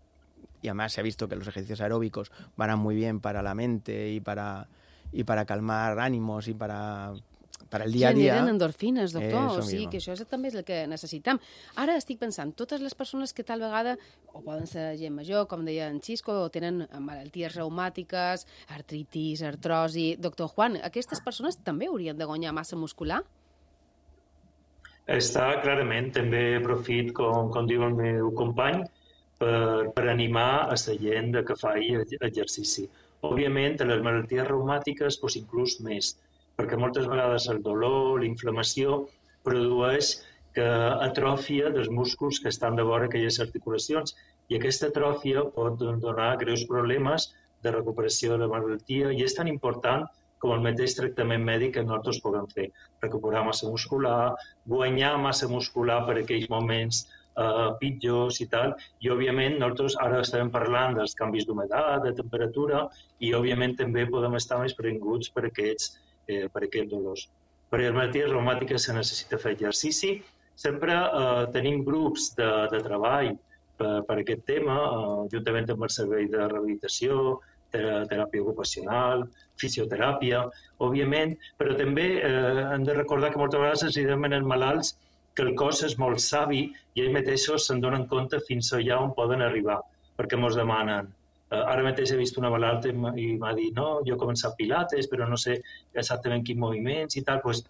y además se ha visto que los ejercicios aeróbicos van muy bien para la mente y para, y para calmar ánimos y para... per al dia a dia... Generen endorfines, doctor, eh, o sigui que això és, també és el que necessitem. Ara estic pensant, totes les persones que tal vegada, o poden ser gent major, com deia en Xisco, o tenen malalties reumàtiques, artritis, artrosi... Doctor Juan, aquestes persones també haurien de guanyar massa muscular? Està clarament, també aprofit, com, com diu el meu company, per, per animar a la gent que faci exercici. Òbviament, a les malalties reumàtiques, doncs, inclús més, perquè moltes vegades el dolor, la inflamació, produeix que atròfia dels músculs que estan de vora aquelles articulacions i aquesta atròfia pot donar greus problemes de recuperació de la malaltia i és tan important com el mateix tractament mèdic que nosaltres puguem fer. Recuperar massa muscular, guanyar massa muscular per aquells moments eh, pitjors i tal. I, òbviament, nosaltres ara estem parlant dels canvis d'humedat, de temperatura i, òbviament, també podem estar més previnguts per aquests Eh, per aquests dolors. Per les malalties reumàtiques se necessita fer exercici. Sempre eh, tenim grups de, de treball per, per aquest tema, eh, juntament amb el servei de rehabilitació, teràpia ocupacional, fisioteràpia, òbviament, però també eh, hem de recordar que moltes vegades ens demanen malalts que el cos és molt savi i ells mateixos se'n donen compte fins allà on poden arribar, perquè ens demanen. Ara mateix he vist una malalta i m'ha dit no, jo he començat pilates, però no sé exactament quins moviments i tal. Pues,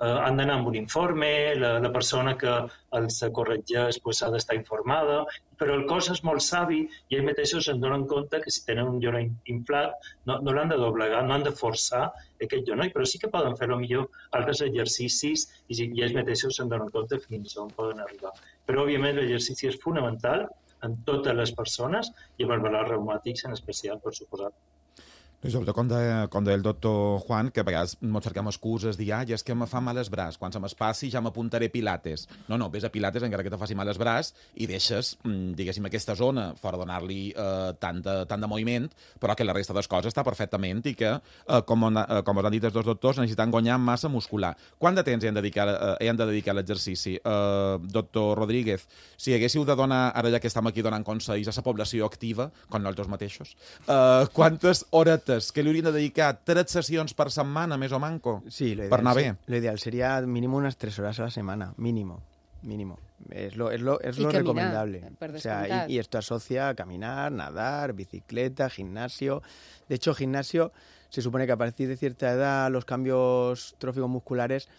eh, han d'anar amb un informe, la, la persona que els corregeix pues, ha d'estar informada, però el cos és molt savi i ells mateixos se'n donen compte que si tenen un genoll inflat no, no l'han de doblegar, no han de forçar aquest genoll, però sí que poden fer millor altres exercicis i, i ells mateixos se'n donen compte fins on poden arribar. Però, òbviament, l'exercici és fonamental en totes les persones i amb els malalts reumàtics en especial, per suposat. I sobretot, com deia, com deia el doctor Juan, que a vegades ens cerquem excuses, dir, ah, és que me fa mal el braç, quan se m'espassi ja m'apuntaré pilates. No, no, vés a pilates encara que te faci mal el braç i deixes, diguéssim, aquesta zona fora donar-li eh, tant, de, tant de moviment, però que la resta de les coses està perfectament i que, eh, com, on, eh, com us han dit els dos doctors, necessiten guanyar massa muscular. Quant de temps hi han de dedicar, eh, han de dedicar a l'exercici? Eh, doctor Rodríguez, si haguéssiu de donar, ara ja que estem aquí donant consells a la població activa, com nosaltres mateixos, eh, quantes horetes que li haurien de dedicar tres sessions per setmana, més o manco, sí, lo ideal, per anar bé? Lo ideal sería mínimo unas tres horas a la semana, mínimo, mínimo. Es lo, es lo, es lo caminar, recomendable. O sea, y, y esto asocia a caminar, nadar, bicicleta, gimnasio. De hecho, gimnasio, se supone que a partir de cierta edad los cambios tróficos musculares,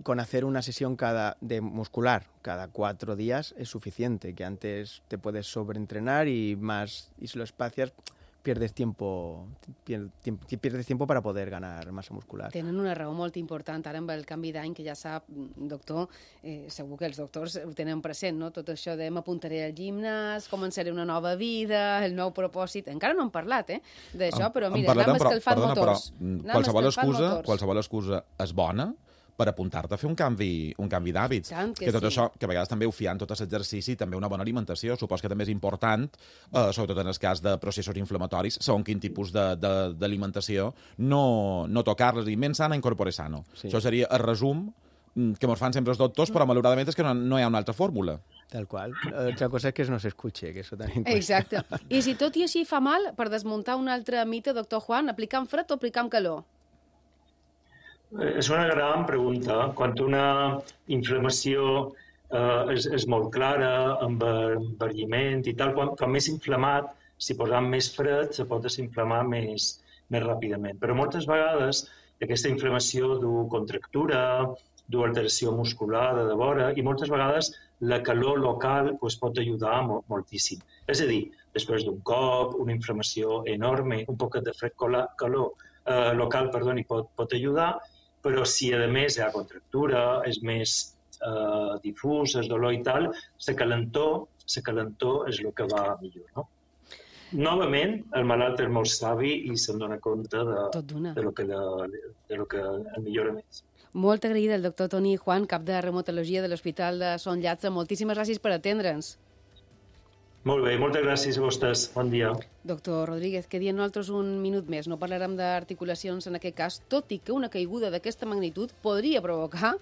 con hacer una sesión cada de muscular cada cuatro días es suficiente, que antes te puedes sobreentrenar y más, y si lo espacias pierdes tiempo, pierdes tiempo para poder ganar massa muscular. Tenen una raó molt important ara amb el canvi d'any, que ja sap, doctor, eh, segur que els doctors ho tenen present, no? Tot això de m'apuntaré al gimnàs, començaré una nova vida, el nou propòsit. Encara no hem parlat, eh, d'això, però mira, anem escalfant motors. Qualsevol excusa, qualsevol excusa és bona per apuntar-te a fer un canvi, un canvi d'hàbits. Que, que tot sí. això, que a vegades també ho fiant tot l'exercici, també una bona alimentació, supos que també és important, eh, sobretot en el cas de processos inflamatoris, segons quin tipus d'alimentació, no, no tocar-les, i menys sana, incorpore sano. Sí. Això seria el resum que ens fan sempre els doctors, però malauradament és que no, no hi ha una altra fórmula. Tal qual. Otra cosa es que no se escuche, que eso también cuesta. Exacte. I si tot i així fa mal, per desmuntar un altre mite, doctor Juan, aplicar amb fred o aplicar amb calor? És una gran pregunta. Quan una inflamació eh, és, és molt clara, amb envergiment i tal, quan, quan més inflamat, si posam més fred, se pot desinflamar més, més ràpidament. Però moltes vegades aquesta inflamació du contractura, du alteració muscular de vora i moltes vegades la calor local pues, pot ajudar molt, moltíssim. És a dir, després d'un cop, una inflamació enorme, un poquet de fred calor eh, local perdoni, pot, pot ajudar, però si a més hi ha contractura, és més eh, difús, és dolor i tal, la calentor, la calentor és el que va millor, no? novament, el malalt és molt savi i se'n dona compte de, de, lo, que, de, de lo que el millora més. Molt agraïda el doctor Toni Juan, cap de reumatologia de l'Hospital de Son Llàtzer. Moltíssimes gràcies per atendre'ns. Molt bé, moltes gràcies a vostès. Bon dia. Doctor Rodríguez, que dient nosaltres un minut més. No parlarem d'articulacions en aquest cas, tot i que una caiguda d'aquesta magnitud podria provocar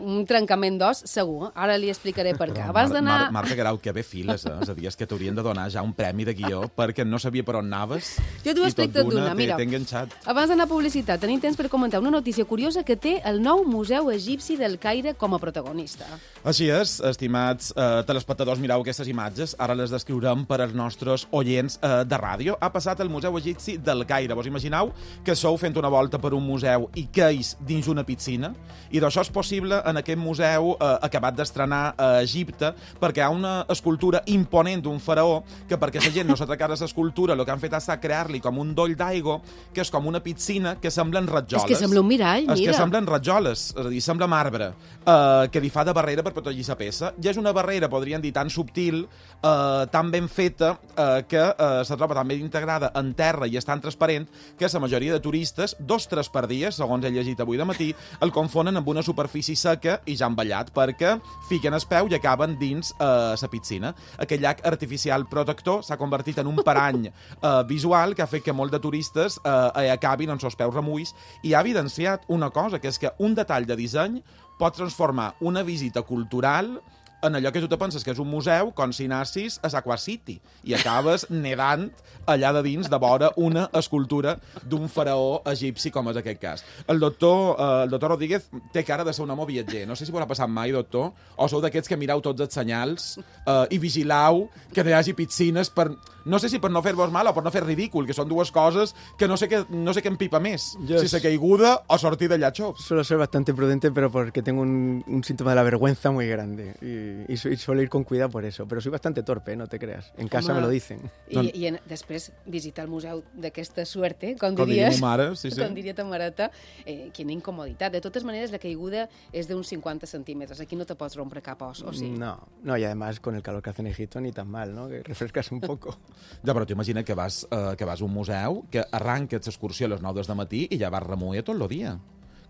un trencament d'os, segur. Ara li explicaré per què. Abans d'anar... Mar Marta Guerau, que bé files, eh? És a dir, és que t'haurien de donar ja un premi de guió perquè no sabia per on anaves. Jo t'ho explico tot d'una, mira. T'he enganxat. Abans d'anar a publicitat, tenim temps per comentar una notícia curiosa que té el nou Museu Egipci del Caire com a protagonista. Així és, estimats eh, telespectadors, mireu aquestes imatges. Ara les descriurem per als nostres oients eh, de ràdio. Ha passat el Museu Egipci del Caire. Vos imagineu que sou fent una volta per un museu i queis dins una piscina? I d'això és possible en aquest museu eh, acabat d'estrenar a Egipte, perquè hi ha una escultura imponent d'un faraó que, perquè la gent no s'atracara a l'escultura, el que han fet ha estat crear-li com un doll d'aigua, que és com una piscina que semblen ratjoles. És que sembla un mirall, mira. És que semblen ratjoles, és a dir, sembla marbre, eh, que li fa de barrera per protegir la peça. I és una barrera, podríem dir, tan subtil, eh, tan ben feta, eh, que eh, se troba tan ben integrada en terra i és tan transparent que la majoria de turistes, dos tres per dia, segons he llegit avui de matí, el confonen amb una superfície seca i ja envellat, perquè fiquen el peu i acaben dins la eh, piscina. Aquell llac artificial protector s'ha convertit en un parany eh, visual que ha fet que molt de turistes eh, acabin amb els peus remulls i ha evidenciat una cosa, que és que un detall de disseny pot transformar una visita cultural en allò que tu te penses que és un museu, com si anessis a Aqua City i acabes nedant allà de dins de vora una escultura d'un faraó egipci, com és aquest cas. El doctor, eh, el doctor Rodríguez té cara de ser un home viatger. No sé si us ha passat mai, doctor, o sou d'aquests que mireu tots els senyals eh, i vigileu que no hi hagi piscines per... No sé si per no fer-vos mal o per no fer ridícul, que són dues coses que no sé què, no sé què empipa més. Yo si se caiguda o sortir de allà xops. Suelo ser bastante prudente, pero porque tengo un, un síntoma de la vergüenza muy grande. Y, y, y suelo ir con cuidado por eso. Pero soy bastante torpe, no te creas. En casa Home, me lo dicen. I, no... i en, després visitar el museu d'aquesta suerte, com, com diries, mare, sí, sí. com diria ta mareta, eh, quina incomoditat. De totes maneres, la caiguda és d'uns cinquanta centímetres. Aquí no te pots rompre cap os, o sí? No, no, y además con el calor que hace en Egipto ni tan mal, ¿no? Que refrescas un poco. Ja, però t'imagina que vas, eh, que vas a un museu, que arranques l'excursió a les nou del matí i ja vas remuir tot el dia.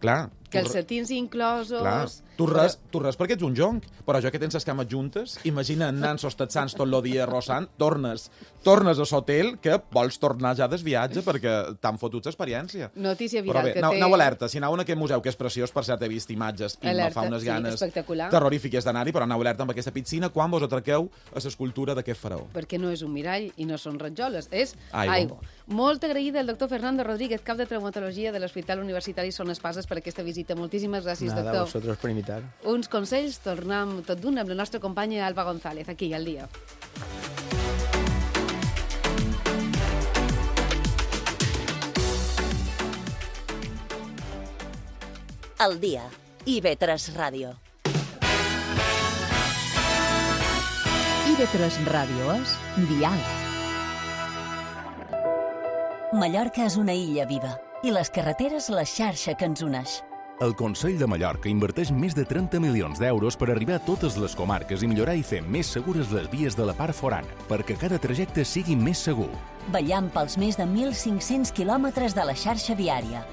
Clar. Que els setins inclosos... Clar, tu res, tu res perquè ets un jonc, però jo que tens les cames juntes, imagina anant sostatzants tot el dia rossant, tornes, tornes a l'hotel que vols tornar ja des viatge perquè t'han fotut l'experiència. Notícia viral però bé, que anau, té... Anau alerta, si anau en aquest museu, que és preciós, per cert, he vist imatges i alerta, me fa unes ganes sí, terrorífiques d'anar-hi, però anau alerta amb aquesta piscina quan vos atraqueu a l'escultura d'aquest faraó. Perquè no és un mirall i no són ratjoles, és aigua. aigua. Molt agraïda al doctor Fernando Rodríguez, cap de traumatologia de l'Hospital Universitari Son Espases, per aquesta visita. Moltíssimes gràcies, Nada, doctor. a vosotros por invitar. Uns consells, tornem tot d'un amb la nostra companya Alba González, aquí, al dia. Al dia. I ve tres Ràdio. I ve tres Ràdio és Dial. Mallorca és una illa viva i les carreteres la xarxa que ens uneix. El Consell de Mallorca inverteix més de trenta milions d'euros per arribar a totes les comarques i millorar i fer més segures les vies de la part forana, perquè cada trajecte sigui més segur. Vetllant pels més de mil cinc-cents quilòmetres de la xarxa viària.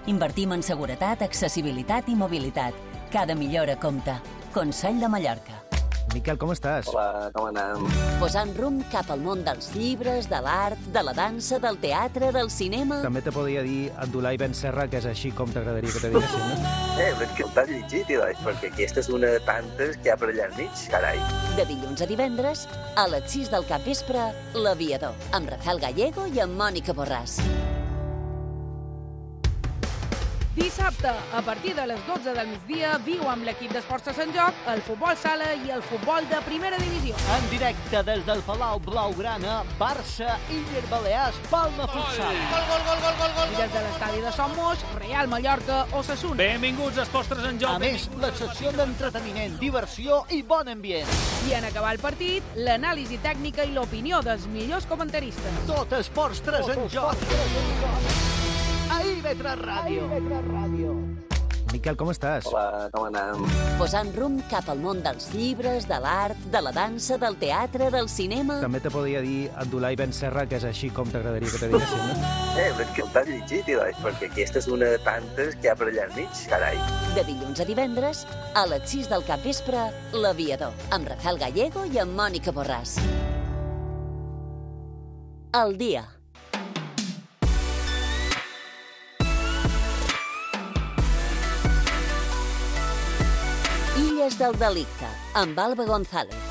Invertim en seguretat, accessibilitat i mobilitat. Cada millora compta. Consell de Mallorca. Miquel, com estàs? Hola, com anem? Posant rumb cap al món dels llibres, de l'art, de la dansa, del teatre, del cinema... També te podria dir Abdulai Ben Serra, que és així com t'agradaria que te diguessin, no? Eh, però és que el t'has llegit, Ilai, perquè aquesta és una de tantes que hi ha per allà al mig, carai. De dilluns a divendres, a les sis del capvespre, L'Aviador, amb Rafael Gallego i amb Mònica Borràs. Dissabte, a partir de les dotze del migdia, viu amb l'equip d'Esports de Sant Joc, el futbol sala i el futbol de primera divisió. En directe des del Palau Blaugrana, Barça, Iller Balears, Palma Futsal. Gol, gol, gol, gol, gol, gol. I des de l'estadi de Son Moix, Real Mallorca, Osasuna. Benvinguts a Esports de Sant Joc. A més, la secció d'entreteniment, diversió i bon ambient. I en acabar el partit, l'anàlisi tècnica i l'opinió dels millors comentaristes. Tot Esports de Sant Joc. A I V tres Ràdio. Miquel, com estàs? Hola, com anem? Posant rumb cap al món dels llibres, de l'art, de la dansa, del teatre, del cinema... També te podria dir Abdulai Ben Serra, que és així com t'agradaria que te diguessin, no? Eh, però és que t'has llegit, Eloi, perquè aquesta és una de tantes que hi ha per allà al mig, carai. De dilluns a divendres, a les sis del capvespre, L'Aviador, amb Rafael Gallego i amb Mònica Borràs. El dia. Illes del delicte, amb Alba González.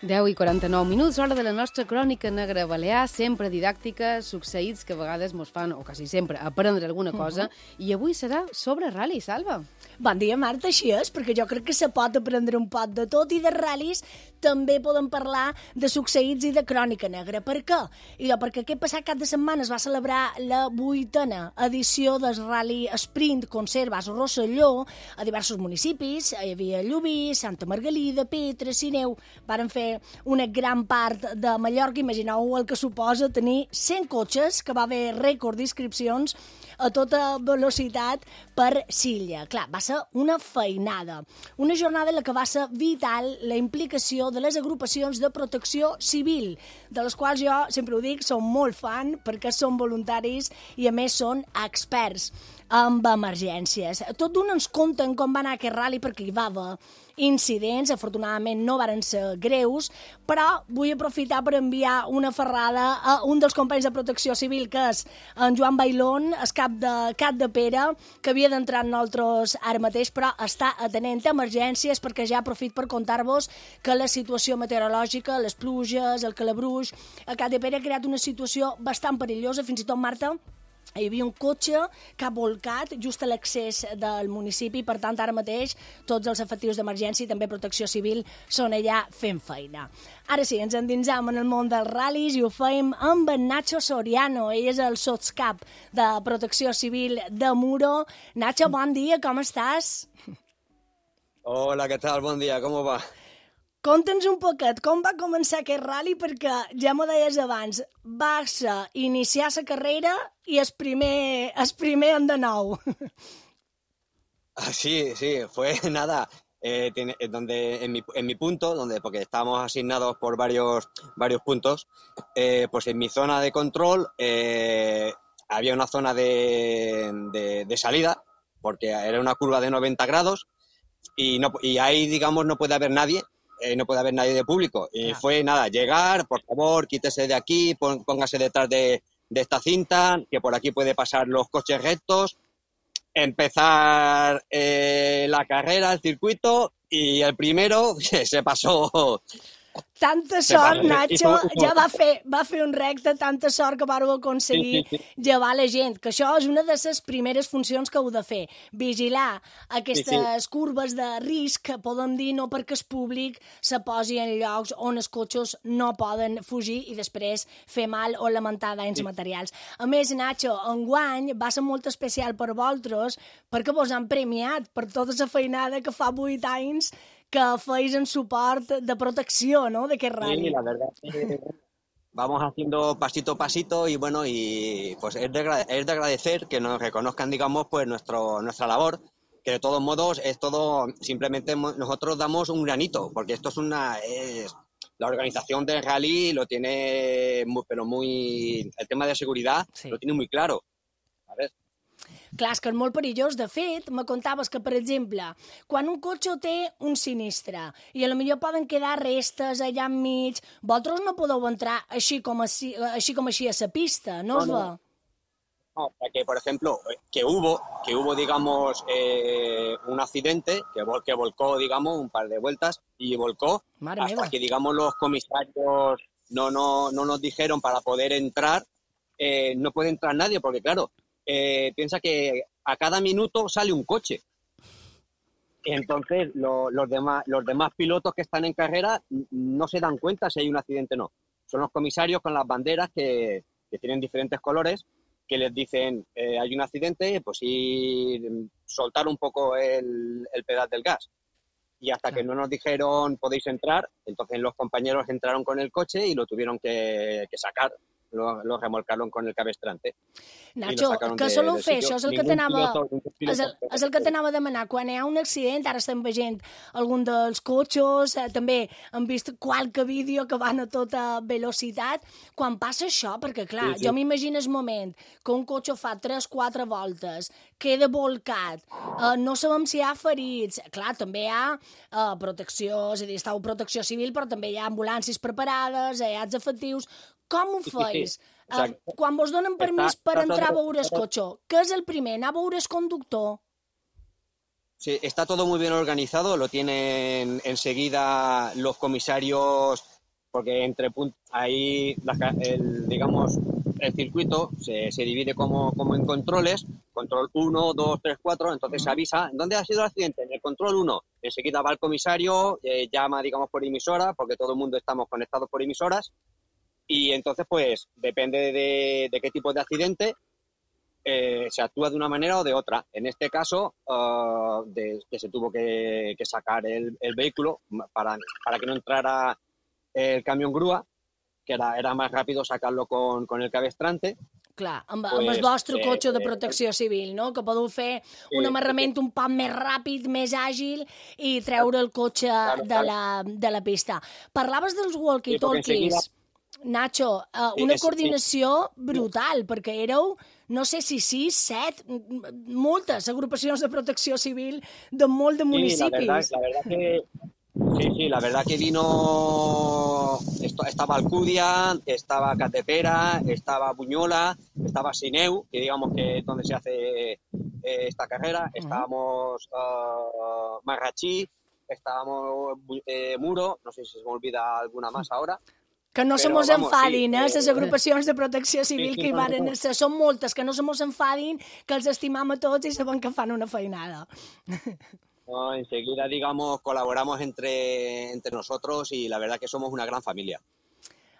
deu i quaranta-nou minuts, hora de la nostra crònica negra balear, sempre didàctica, succeïts que a vegades mos fan, o quasi sempre, aprendre alguna cosa, uh -huh. i avui serà sobre ral·li, Salva. Bon dia, Marta, així és, perquè jo crec que se pot aprendre un pot de tot, i de ral·lis també podem parlar de succeïts i de crònica negra. Per què? I perquè aquest passat cap de setmana es va celebrar la vuitena edició del ral·li Sprint Conservas Rosselló a diversos municipis. Hi havia Llubí, Santa Margalida, Petra, Sineu. Varen fer una gran part de Mallorca. Imagineu el que suposa tenir cent cotxes, que va haver rècord d'inscripcions a tota velocitat per Silla. Clar, va ser una feinada. Una jornada en la que va ser vital la implicació de les agrupacions de protecció civil, de les quals jo, sempre ho dic, som molt fan perquè són voluntaris i a més són experts amb emergències. Tot d'un ens conten com va anar aquest ral·li, perquè hi va haver incidents, afortunadament no varen ser greus, però vull aprofitar per enviar una ferrada a un dels companys de protecció civil, que és en Joan Bailón, el cap de Cat de Pere, que havia d'entrar en nosaltres ara mateix, però està atenent a emergències, perquè ja aprofit per contar-vos que la situació meteorològica, les pluges, el calabruix, a Cat de Pere ha creat una situació bastant perillosa, fins i tot, Marta, hi havia un cotxe que ha volcat just a l'accés del municipi, per tant, ara mateix tots els efectius d'emergència i també protecció civil són allà fent feina. Ara sí, ens endinsam en el món dels ral·lis i ho fem amb en Nacho Soriano. Ell és el sotscap de protecció civil de Muro. Nacho, bon dia, com estàs? Hola, què tal? Bon dia, com va? Conta'ns un poquet com va començar aquest ral·li, perquè ja m'ho deies abans, va ser iniciar la carrera i el primer, el primer en de nou. Sí, sí, fue nada, eh, tiene, donde en mi, en mi punto, donde porque estábamos asignados por varios, varios puntos, eh, pues en mi zona de control eh, había una zona de, de, de salida, porque era una curva de noventa grados, y, no, y ahí, digamos, no puede haber nadie. Eh, no puede haber nadie de público. Y claro, fue nada, llegar, por favor, quítese de aquí, pon, póngase detrás de, de esta cinta, que por aquí puede pasar los coches rectos, empezar eh, la carrera, el circuito, y el primero se pasó... Tanta sort, Nacho, ja va fer, va fer un recte, tanta sort que vàreu aconseguir sí, sí, sí. llevar la gent, que això és una de les primeres funcions que heu de fer, vigilar aquestes sí, sí. curves de risc, que podem dir no perquè el públic se posi en llocs on els cotxes no poden fugir i després fer mal o lamentar danys sí. materials. A més, Nacho, enguany va ser molt especial per vosaltres perquè vos han premiat per tota la feinada que fa vuit anys que feis en suport de protecció, ¿no?, de aquest ral·li. Sí, la verdad, sí. Vamos haciendo pasito a pasito y bueno, y pues es de, es de agradecer que nos reconozcan, digamos, pues nuestro, nuestra labor, que de todos modos es todo, simplemente nosotros damos un granito, porque esto es una, es, la organización del rally lo tiene, muy, pero muy, el tema de seguridad sí. lo tiene muy claro, ¿sabes? Clar, és que és molt perillós. De fet, me contaves que, per exemple, quan un cotxe té un sinistre i a lo millor poden quedar restes allà enmig, vosaltres no podeu entrar així com així, així, com així a la pista, no, no us va? No. No, que por ejemplo, que hubo, que hubo, digamos, eh, un accidente que, vol, que volcó, digamos, un par de vueltas y volcó Madre hasta mía. que, digamos, los comisarios no, no, no nos dijeron para poder entrar, eh, no puede entrar nadie, porque claro, eh, piensa que a cada minuto sale un coche. Entonces, lo, los, demás, los demás pilotos que están en carrera no se dan cuenta si hay un accidente o no. Son los comisarios con las banderas que, que tienen diferentes colores, que les dicen, eh, hay un accidente, pues sí, soltar un poco el, el pedal del gas. Y hasta claro. que no nos dijeron, podéis entrar, entonces los compañeros entraron con el coche y lo tuvieron que, que sacar. lo, lo remolcaron con el cabestrante. Nacho, què soleu fer? Això és el que t'anava és el, és el que t'anava a demanar. Quan hi ha un accident, ara estem veient algun dels cotxes, eh, també hem vist qualque vídeo que van a tota velocitat. Quan passa això, perquè clar, sí, sí. jo m'imagino el moment que un cotxe fa tres quatre voltes, queda volcat, eh, no sabem si hi ha ferits, clar, també hi ha eh, protecció, és a dir, estàu protecció civil, però també hi ha ambulàncies preparades, hi ha els efectius. Com ho feis? Sí, sí. Uh, quan vos donen permís per entrar a veure el cotxe, què és el primer? Anar a veure el conductor? Sí, está todo muy bien organizado, lo tienen enseguida los comisarios, porque entre ahí, el, digamos, el circuito se, se divide como, como en controles, control uno, dos, tres, cuatro, entonces se avisa, ¿dónde ha sido el accidente? En el control uno, enseguida va el comisario, eh, llama, digamos, por emisora, porque todo el mundo estamos conectados por emisoras, y entonces, pues, depende de, de qué tipo de accidente, eh, se actúa de una manera o de otra. En este caso, uh, de, que se tuvo que, que sacar el, el vehículo para, para que no entrara el camión grúa, que era, era más rápido sacarlo con, con el cabestrante. Clar, amb, pues, amb el vostre eh, cotxe de eh, protecció civil, no? Que podeu fer un sí, amarrament un poc més ràpid, més àgil i treure el cotxe claro, de, la, de la pista. Parlaves dels walkie-talkies. Sí, Nacho, uh, una sí, coordinació sí. brutal, perquè éreu, no sé si sis, set, moltes agrupacions de protecció civil de molt de municipis. Sí, la verdad, la verdad que, sí, sí, la verdad que vino, estaba Alcudia, estaba Catepera, estaba Buñola, estaba Sineu, que digamos que es donde se hace eh, esta carrera, uh-huh. estábamos uh, Marrachí, estábamos eh, Muro, no sé si se me olvida alguna más ahora. Que no se mos enfadin, eh, les agrupacions de protecció civil sí, sí, que hi van ser. Són moltes, que no se mos enfadin, que els estimam a tots i sabem que fan una feinada. No, enseguida, digamos, colaboramos entre, entre nosotros y la verdad que somos una gran familia.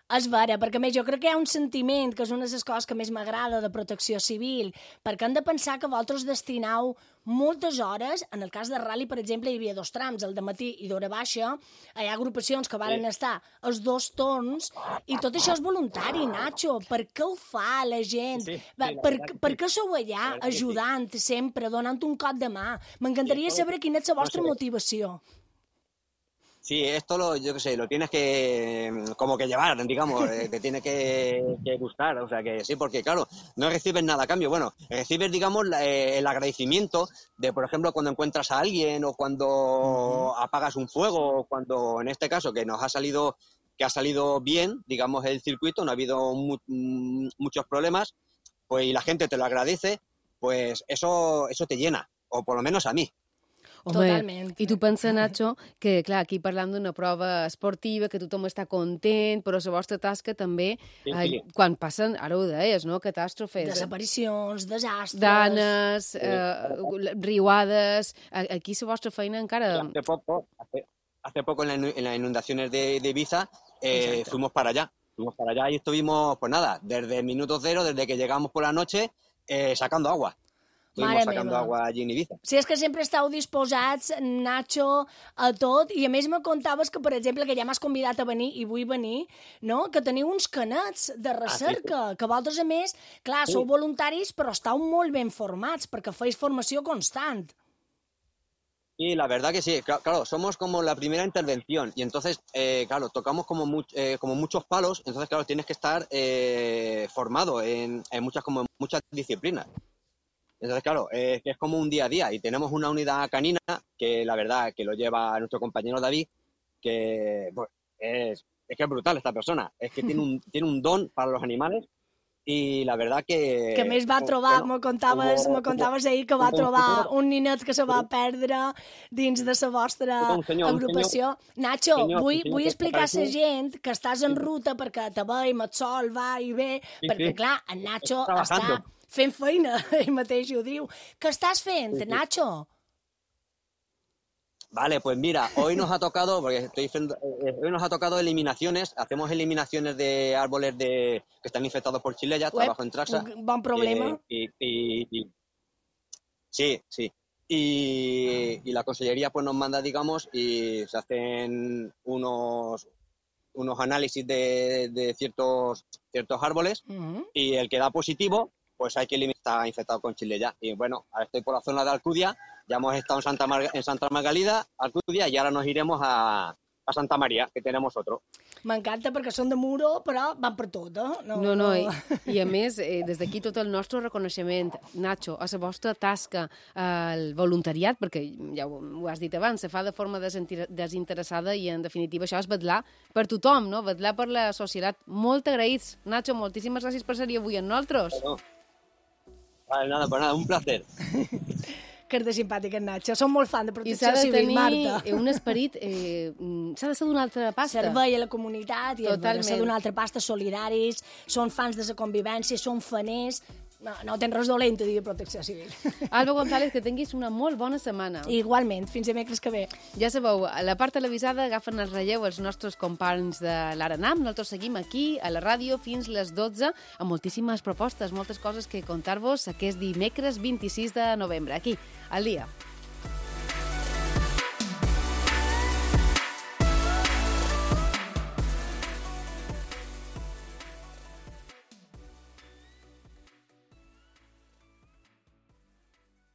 És vera, perquè més jo crec que hi ha un sentiment, que és una de les coses que més m'agrada de protecció civil, perquè hem de pensar que vosaltres destinau moltes hores, en el cas de Rally, per exemple, hi havia dos trams, el de matí i d'hora baixa, hi ha agrupacions que varen sí. estar els dos torns, i tot això és voluntari, Nacho. Per què ho fa la gent? Sí, sí, per, per, per què sou allà ajudant sí. sempre, donant un cop de mà? M'encantaria saber quina és la vostra no sé. motivació. Sí, esto lo, yo qué sé, lo tienes que, como que llevar, digamos, eh, te tiene que, que gustar, o sea que sí, porque claro, no recibes nada a cambio, bueno, recibes, digamos, la, eh, el agradecimiento de, por ejemplo, cuando encuentras a alguien o cuando uh-huh. apagas un fuego, o cuando, en este caso, que nos ha salido, que ha salido bien, digamos, el circuito, no ha habido mu- muchos problemas, pues y la gente te lo agradece, pues eso, eso te llena, o por lo menos a mí. Home, Totalment. I tu pensa, Nacho, que clar, aquí parlam d'una prova esportiva, que tothom està content, però la vostra tasca també, sí, sí. Eh, quan passen, ara ho deies, no?, catàstrofes. Desaparicions, desastres... Danes, eh, riuades... Aquí la vostra feina encara... Hace poco, hace, hace poco en, la, en las inundaciones de, de Ibiza, eh, fuimos para allá. Fuimos para allá y estuvimos, pues nada, desde el minuto cero, desde que llegamos por la noche, eh, sacando agua. Estuvimos sacando agua allí en Ibiza. Sí, és que sempre estàu disposats, Nacho, a tot, i a més me contaves que, per exemple, que ja m'has convidat a venir, i vull venir, no?, que teniu uns canets de recerca, ah, sí, sí. que vosaltres, a més, clar, sí. sou voluntaris, però estàu molt ben formats, perquè feis formació constant. Sí, la verdad que sí. Claro, somos como la primera intervención y entonces, eh, claro, tocamos como, mu eh, como muchos palos, entonces, claro, tienes que estar eh, formado en, en muchas como en muchas disciplinas. Entonces, claro, eh, es como un día a día y tenemos una unidad canina que la verdad que lo lleva nuestro compañero David, que pues, es, es que es brutal esta persona, es que tiene un, tiene un don para los animales i la verdad que... Que més va trobar, bueno, me contaves, me contaves ahir que va trobar un ninet que se va perdre dins de la vostra senyor, agrupació. Senyor, Nacho, senyor, vull, senyor, vull explicar a la gent que estàs en ruta perquè te veiem, el sol va i ve, sí, perquè sí. clar, en Nacho està fent feina, ell mateix ho diu. Què estàs fent, sí, sí. Nacho? Vale, pues mira, hoy nos ha tocado, porque estoy diciendo, eh, hoy nos ha tocado eliminaciones, hacemos eliminaciones de árboles de que están infectados por chilella, Uep, trabajo en Traxa. Buen problema. Eh, y, y, y, sí, sí. Y, y la consellería pues nos manda, digamos, y se hacen unos unos análisis de, de ciertos, ciertos árboles Uh-huh. y el que da positivo, pues hay que eliminar, está infectado con chile ya. Y bueno, ahora estoy por la zona de Alcudia, ya hemos estado en Santa, Mar en Santa Margalida, Alcudia, y ahora nos iremos a, a Santa Maria, que tenemos otro. M'encanta perquè són de Muro, però van per tot, eh? No, no, i, i a més, eh, des d'aquí tot el nostre reconeixement, Nacho, a la vostra tasca, al voluntariat, perquè ja ho, ho has dit abans, se fa de forma desinteressada i, en definitiva, això és vetllar per tothom, no? Vetllar per la societat. Molt agraïts. Nacho, moltíssimes gràcies per ser-hi avui amb nosaltres. Bueno, vale, nada, pues nada, un placer. Que és de simpàtic, en Nacho. Som molt fan de I protecció s'ha de civil, tenir Marta. un esperit... Eh, s'ha de ser d'una altra pasta. Servei a la comunitat i Totalment. ser d'una altra pasta, solidaris, són fans de la convivència, són faners... No, no tens res dolent a dir de protecció civil. Alba González, que tinguis una molt bona setmana. Igualment, fins dimecres que ve. Ja sabeu, a la part televisada agafen el relleu els nostres companys de l'Aranam. Nosaltres seguim aquí, a la ràdio, fins les dotze, amb moltíssimes propostes, moltes coses que contar-vos aquest dimecres vint-i-sis de novembre, aquí, al dia.